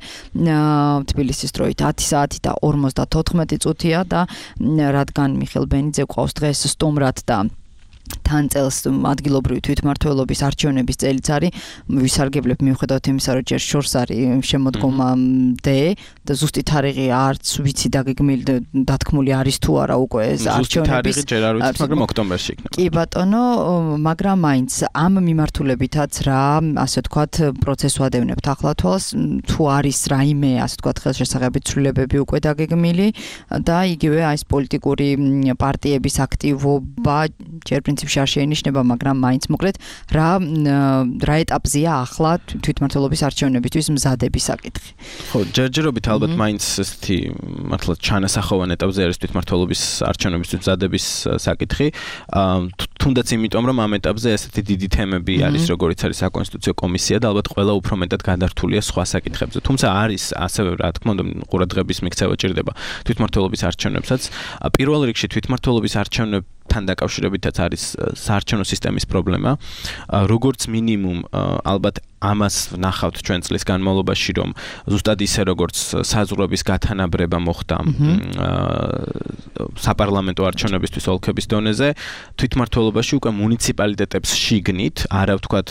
თბილისის დროით 10 საათი და 54 წუთია და რადგან მიხეილ ბენიძე გვყავს დღეს სტუმრად და თან წელს ადგილობრივი თვითმმართველობის არჩევნების წელიც არის, ვისარგებლებ მიუხედავად იმისა, რომ ჯერ შორს არის შემოდგომამდე და ზუსტი თარიღი არც ვიცი დათქმული არის თუ არა უკვე ეს არჩევნების. ზუსტი თარიღი ჯერ არ ვიცით, მაგრამ ოქტომბერში იქნება. კი ბატონო, მაგრამ მაინც ამ მიმართულებითაც რა, ასე ვთქვათ, პროცესს ვადევნებთ ახლა თვალს, თუ არის რაიმე, ასე ვთქვათ, ხელშესაღებითი ცვლილებები უკვე დაგეგმილი და იგივე აი ეს პოლიტიკური პარტიების აქტივობა ჯერ პრინციპში არ შეინიშნება, მაგრამ მაინც მოკლედ რა ეტაპზეა ახლა თვითმმართველობის არჩევნებისთვის მზადების საკითხი. ხო, ჯერჯერობით ალბათ მაინც ესეთი მართლა ჩანასახოვან ეტაპზე არის თვითმმართველობის არჩევნებისთვის მზადების საკითხი. თუნდაც იმიტომ, რომ ამ ეტაპზე ესეთი დიდი თემები არის, როგორიც არის საკონსტიტუციო კომისია და ალბათ ყველა უფრო მეტად გადართულია სხვა საკითხებზე. თუმცა არის ასევე, რა თქმა უნდა, ყურადღების მიქცევა ჭირდება თვითმმართველობის არჩევნებსაც. პირველ რიგში თვითმმართველობის არჩევნებთან დაკავშირებითაც არის საარჩევნო სისტემის პრობლემა. როგორც მინიმუმ, ალბათ ამას ვნახავთ ჩვენ წლის განმავლობაში, რომ ზუსტად ისე როგორც საზღვრების გათანაბრება მოხდა საპარლამენტო არჩევნებისთვის ოლქების დონეზე, თვითმმართველობაში უკვე მუნიციპალიტეტებს შიგნით, არა ვთქვათ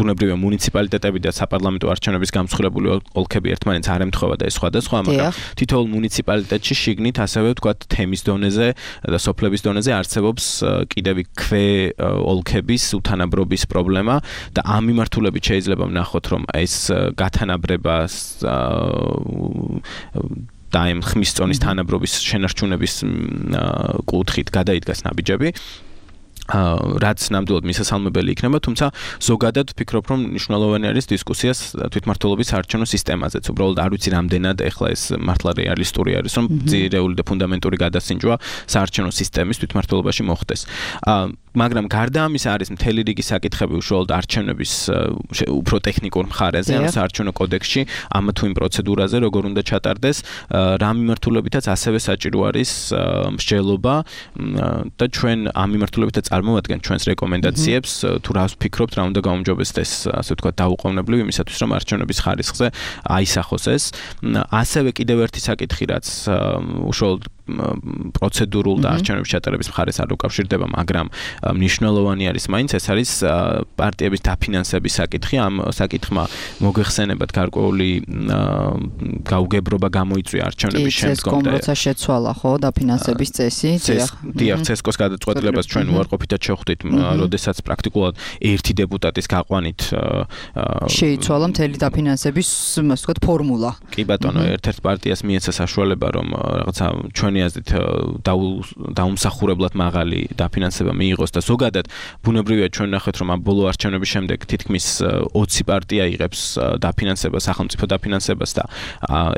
ბუნებრივია მუნიციპალიტეტები და საპარლამენტო არჩევნების გამსხვრებული ოლქები ერთმანეთს არ ემთხვევა და ეს სხვადასხვა, მაგრამ თითოეულ მუნიციპალიტეტში შიგნით ასევე ვთქვათ თემის დონეზე და სოფლების დონეზე არსებობს კიდევ ქვე ოლქების უთანაბრობის პრობლემა და ამ მიმართულებით შეიძლება ვნახოთ, რომ ეს გათანაბრებას და ამ ხმის წონის თანაბრობის შენარჩუნების კუთხით გადაიდგას ნაბიჯები. რაც ნამდვილად მისასალმებელი იქნება, თუმცა ზოგადად ვფიქრობ, რომ მნიშვნელოვანი არის დისკუსიას თვითმმართველობის საარჩევნო სისტემაზეც. უბრალოდ არ ვიცი რამდენად ეხლა ეს მართლა რეალისტური არის, რომ ძირეული და ფუნდამენტური გადასინჯვა საარჩევნო სისტემის თვითმმართველობაში მოხდეს. მაგრამ გარდა ამისა არის მთელი რიგი საკითხები უშუალოდ არჩევნების უფრო ტექნიკურ მხარეზე, ანუ საარჩევნო კოდექსში, ამ თუ იმ პროცედურაზე, როგორ უნდა ჩატარდეს, რა მიმართულებითაც ასევე საჭირო არის მსჯელობა და ჩვენ ამ მიმართულებითაც წარმოვადგენთ ჩვენს რეკომენდაციებს, თუ რას ვფიქრობთ, რა უნდა გაუმჯობესდეს, ასე ვთქვათ, დაუყოვნებლივ იმისათვის, რომ არჩევნების ხარისხზე აისახოს ეს. ასევე კიდევ ერთი საკითხი, რაც უშუალოდ პროცედურულ და არჩევნების ჩატარების მხარეს არ უკავშირდება, მაგრამ მნიშვნელოვანი არის მაინც, ეს არის პარტიების დაფინანსების საკითხი. ამ საკითხმა მოგეხსენებათ გარკვეული გაუგებრობა გამოიწვია არჩევნების შემდგომ და როცა შეცვალა ხო დაფინანსების წესი, დიახ, CESCO-ს გადაწყვეტილებას ჩვენ უარყოფითად შევხვდით, როდესაც პრაქტიკულად ერთი დეპუტატის გაყვანით შეიცვალა მთელი დაფინანსების, ასე ვთქვათ, ფორმულა. კი ბატონო, ერთ-ერთ პარტიას მიეცა საშუალება, რომ რაღაცა ჩვენი აზრით დაუმსახურებლად მაღალი დაფინანსება მიიღოს და ზოგადად ბუნებრივია ჩვენ ნახეთ, რომ ამ ბოლო არჩევნების შემდეგ თითქმის 20 პარტია იღებს დაფინანსებას, სახელმწიფო დაფინანსებას და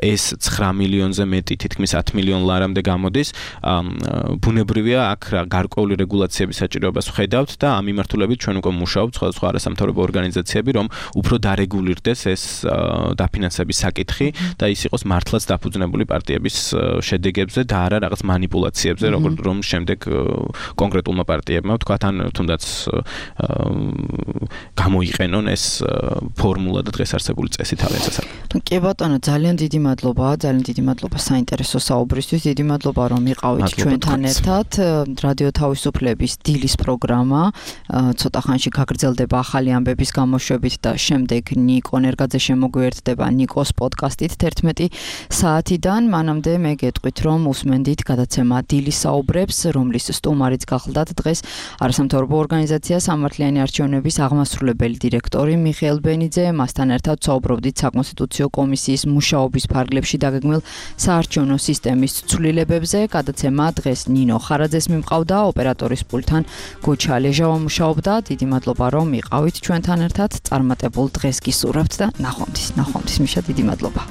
ეს 9 მილიონზე მეტი, თითქმის 10 მილიონ ლარამდე გამოდის. ბუნებრივია აქ გარკვეული რეგულაციების საჭიროებას ვხედავთ და ამ მიმართულებით ჩვენ უკვე მუშაობთ სხვადასხვა არასამთავრობო ორგანიზაციები, რომ უფრო დარეგულირდეს ეს დაფინანსების საკითხი და ის იყოს მართლაც დაფუძნებული პარტიების შედეგებზე და არა რაღაც манипуляციებზე, როგორც რომ შემდეგ კონკრეტულმა პარტიებმა ვთქვათ, ან თუნდაც გამოიყენონ ეს ფორმულა და დღეს არსებული წესი თავის შესახებ. კი ბატონო, ძალიან დიდი მადლობა საინტერესო საუბრისთვის, დიდი მადლობა რომ იყავით ჩვენთან ერთად. რადიო თავისუფლების დილის პროგრამა ცოტა ხანში გაგრძელდება ახალი ამბების გამოშვებით და შემდეგ ნიკო ნერგაძე შემოგვიერთდება ნიკოს პოდკასტით 11 საათიდან. მანამდე მე გეტყვით, რომ უსმენდით გადაცემა დილის საუბრებს, რომლის სტუმარიც გახლდათ დღეს არასამთავრობო ორგანიზაცია სამართლიანი არჩევნების აღმასრულებელი დირექტორი მიხეილ ბენიძე. მასთან ერთად საუბრობდით საკონსტიტუციო კომისიის მუშაობის ფარგლებში დაგეგმილ საარჩევნო სისტემის ცვლილებებზე. გადაცემა დღეს ნინო ხარაძეს მიმყავდა, ოპერატორის პულტთან გოჩა ლეჟავა მუშაობდა. დიდი მადლობა რომ იყავით ჩვენთან ერთად. წარმატებულ დღეს გისურვებთ და ნახვამდის. მიშა, დიდი მადლობა.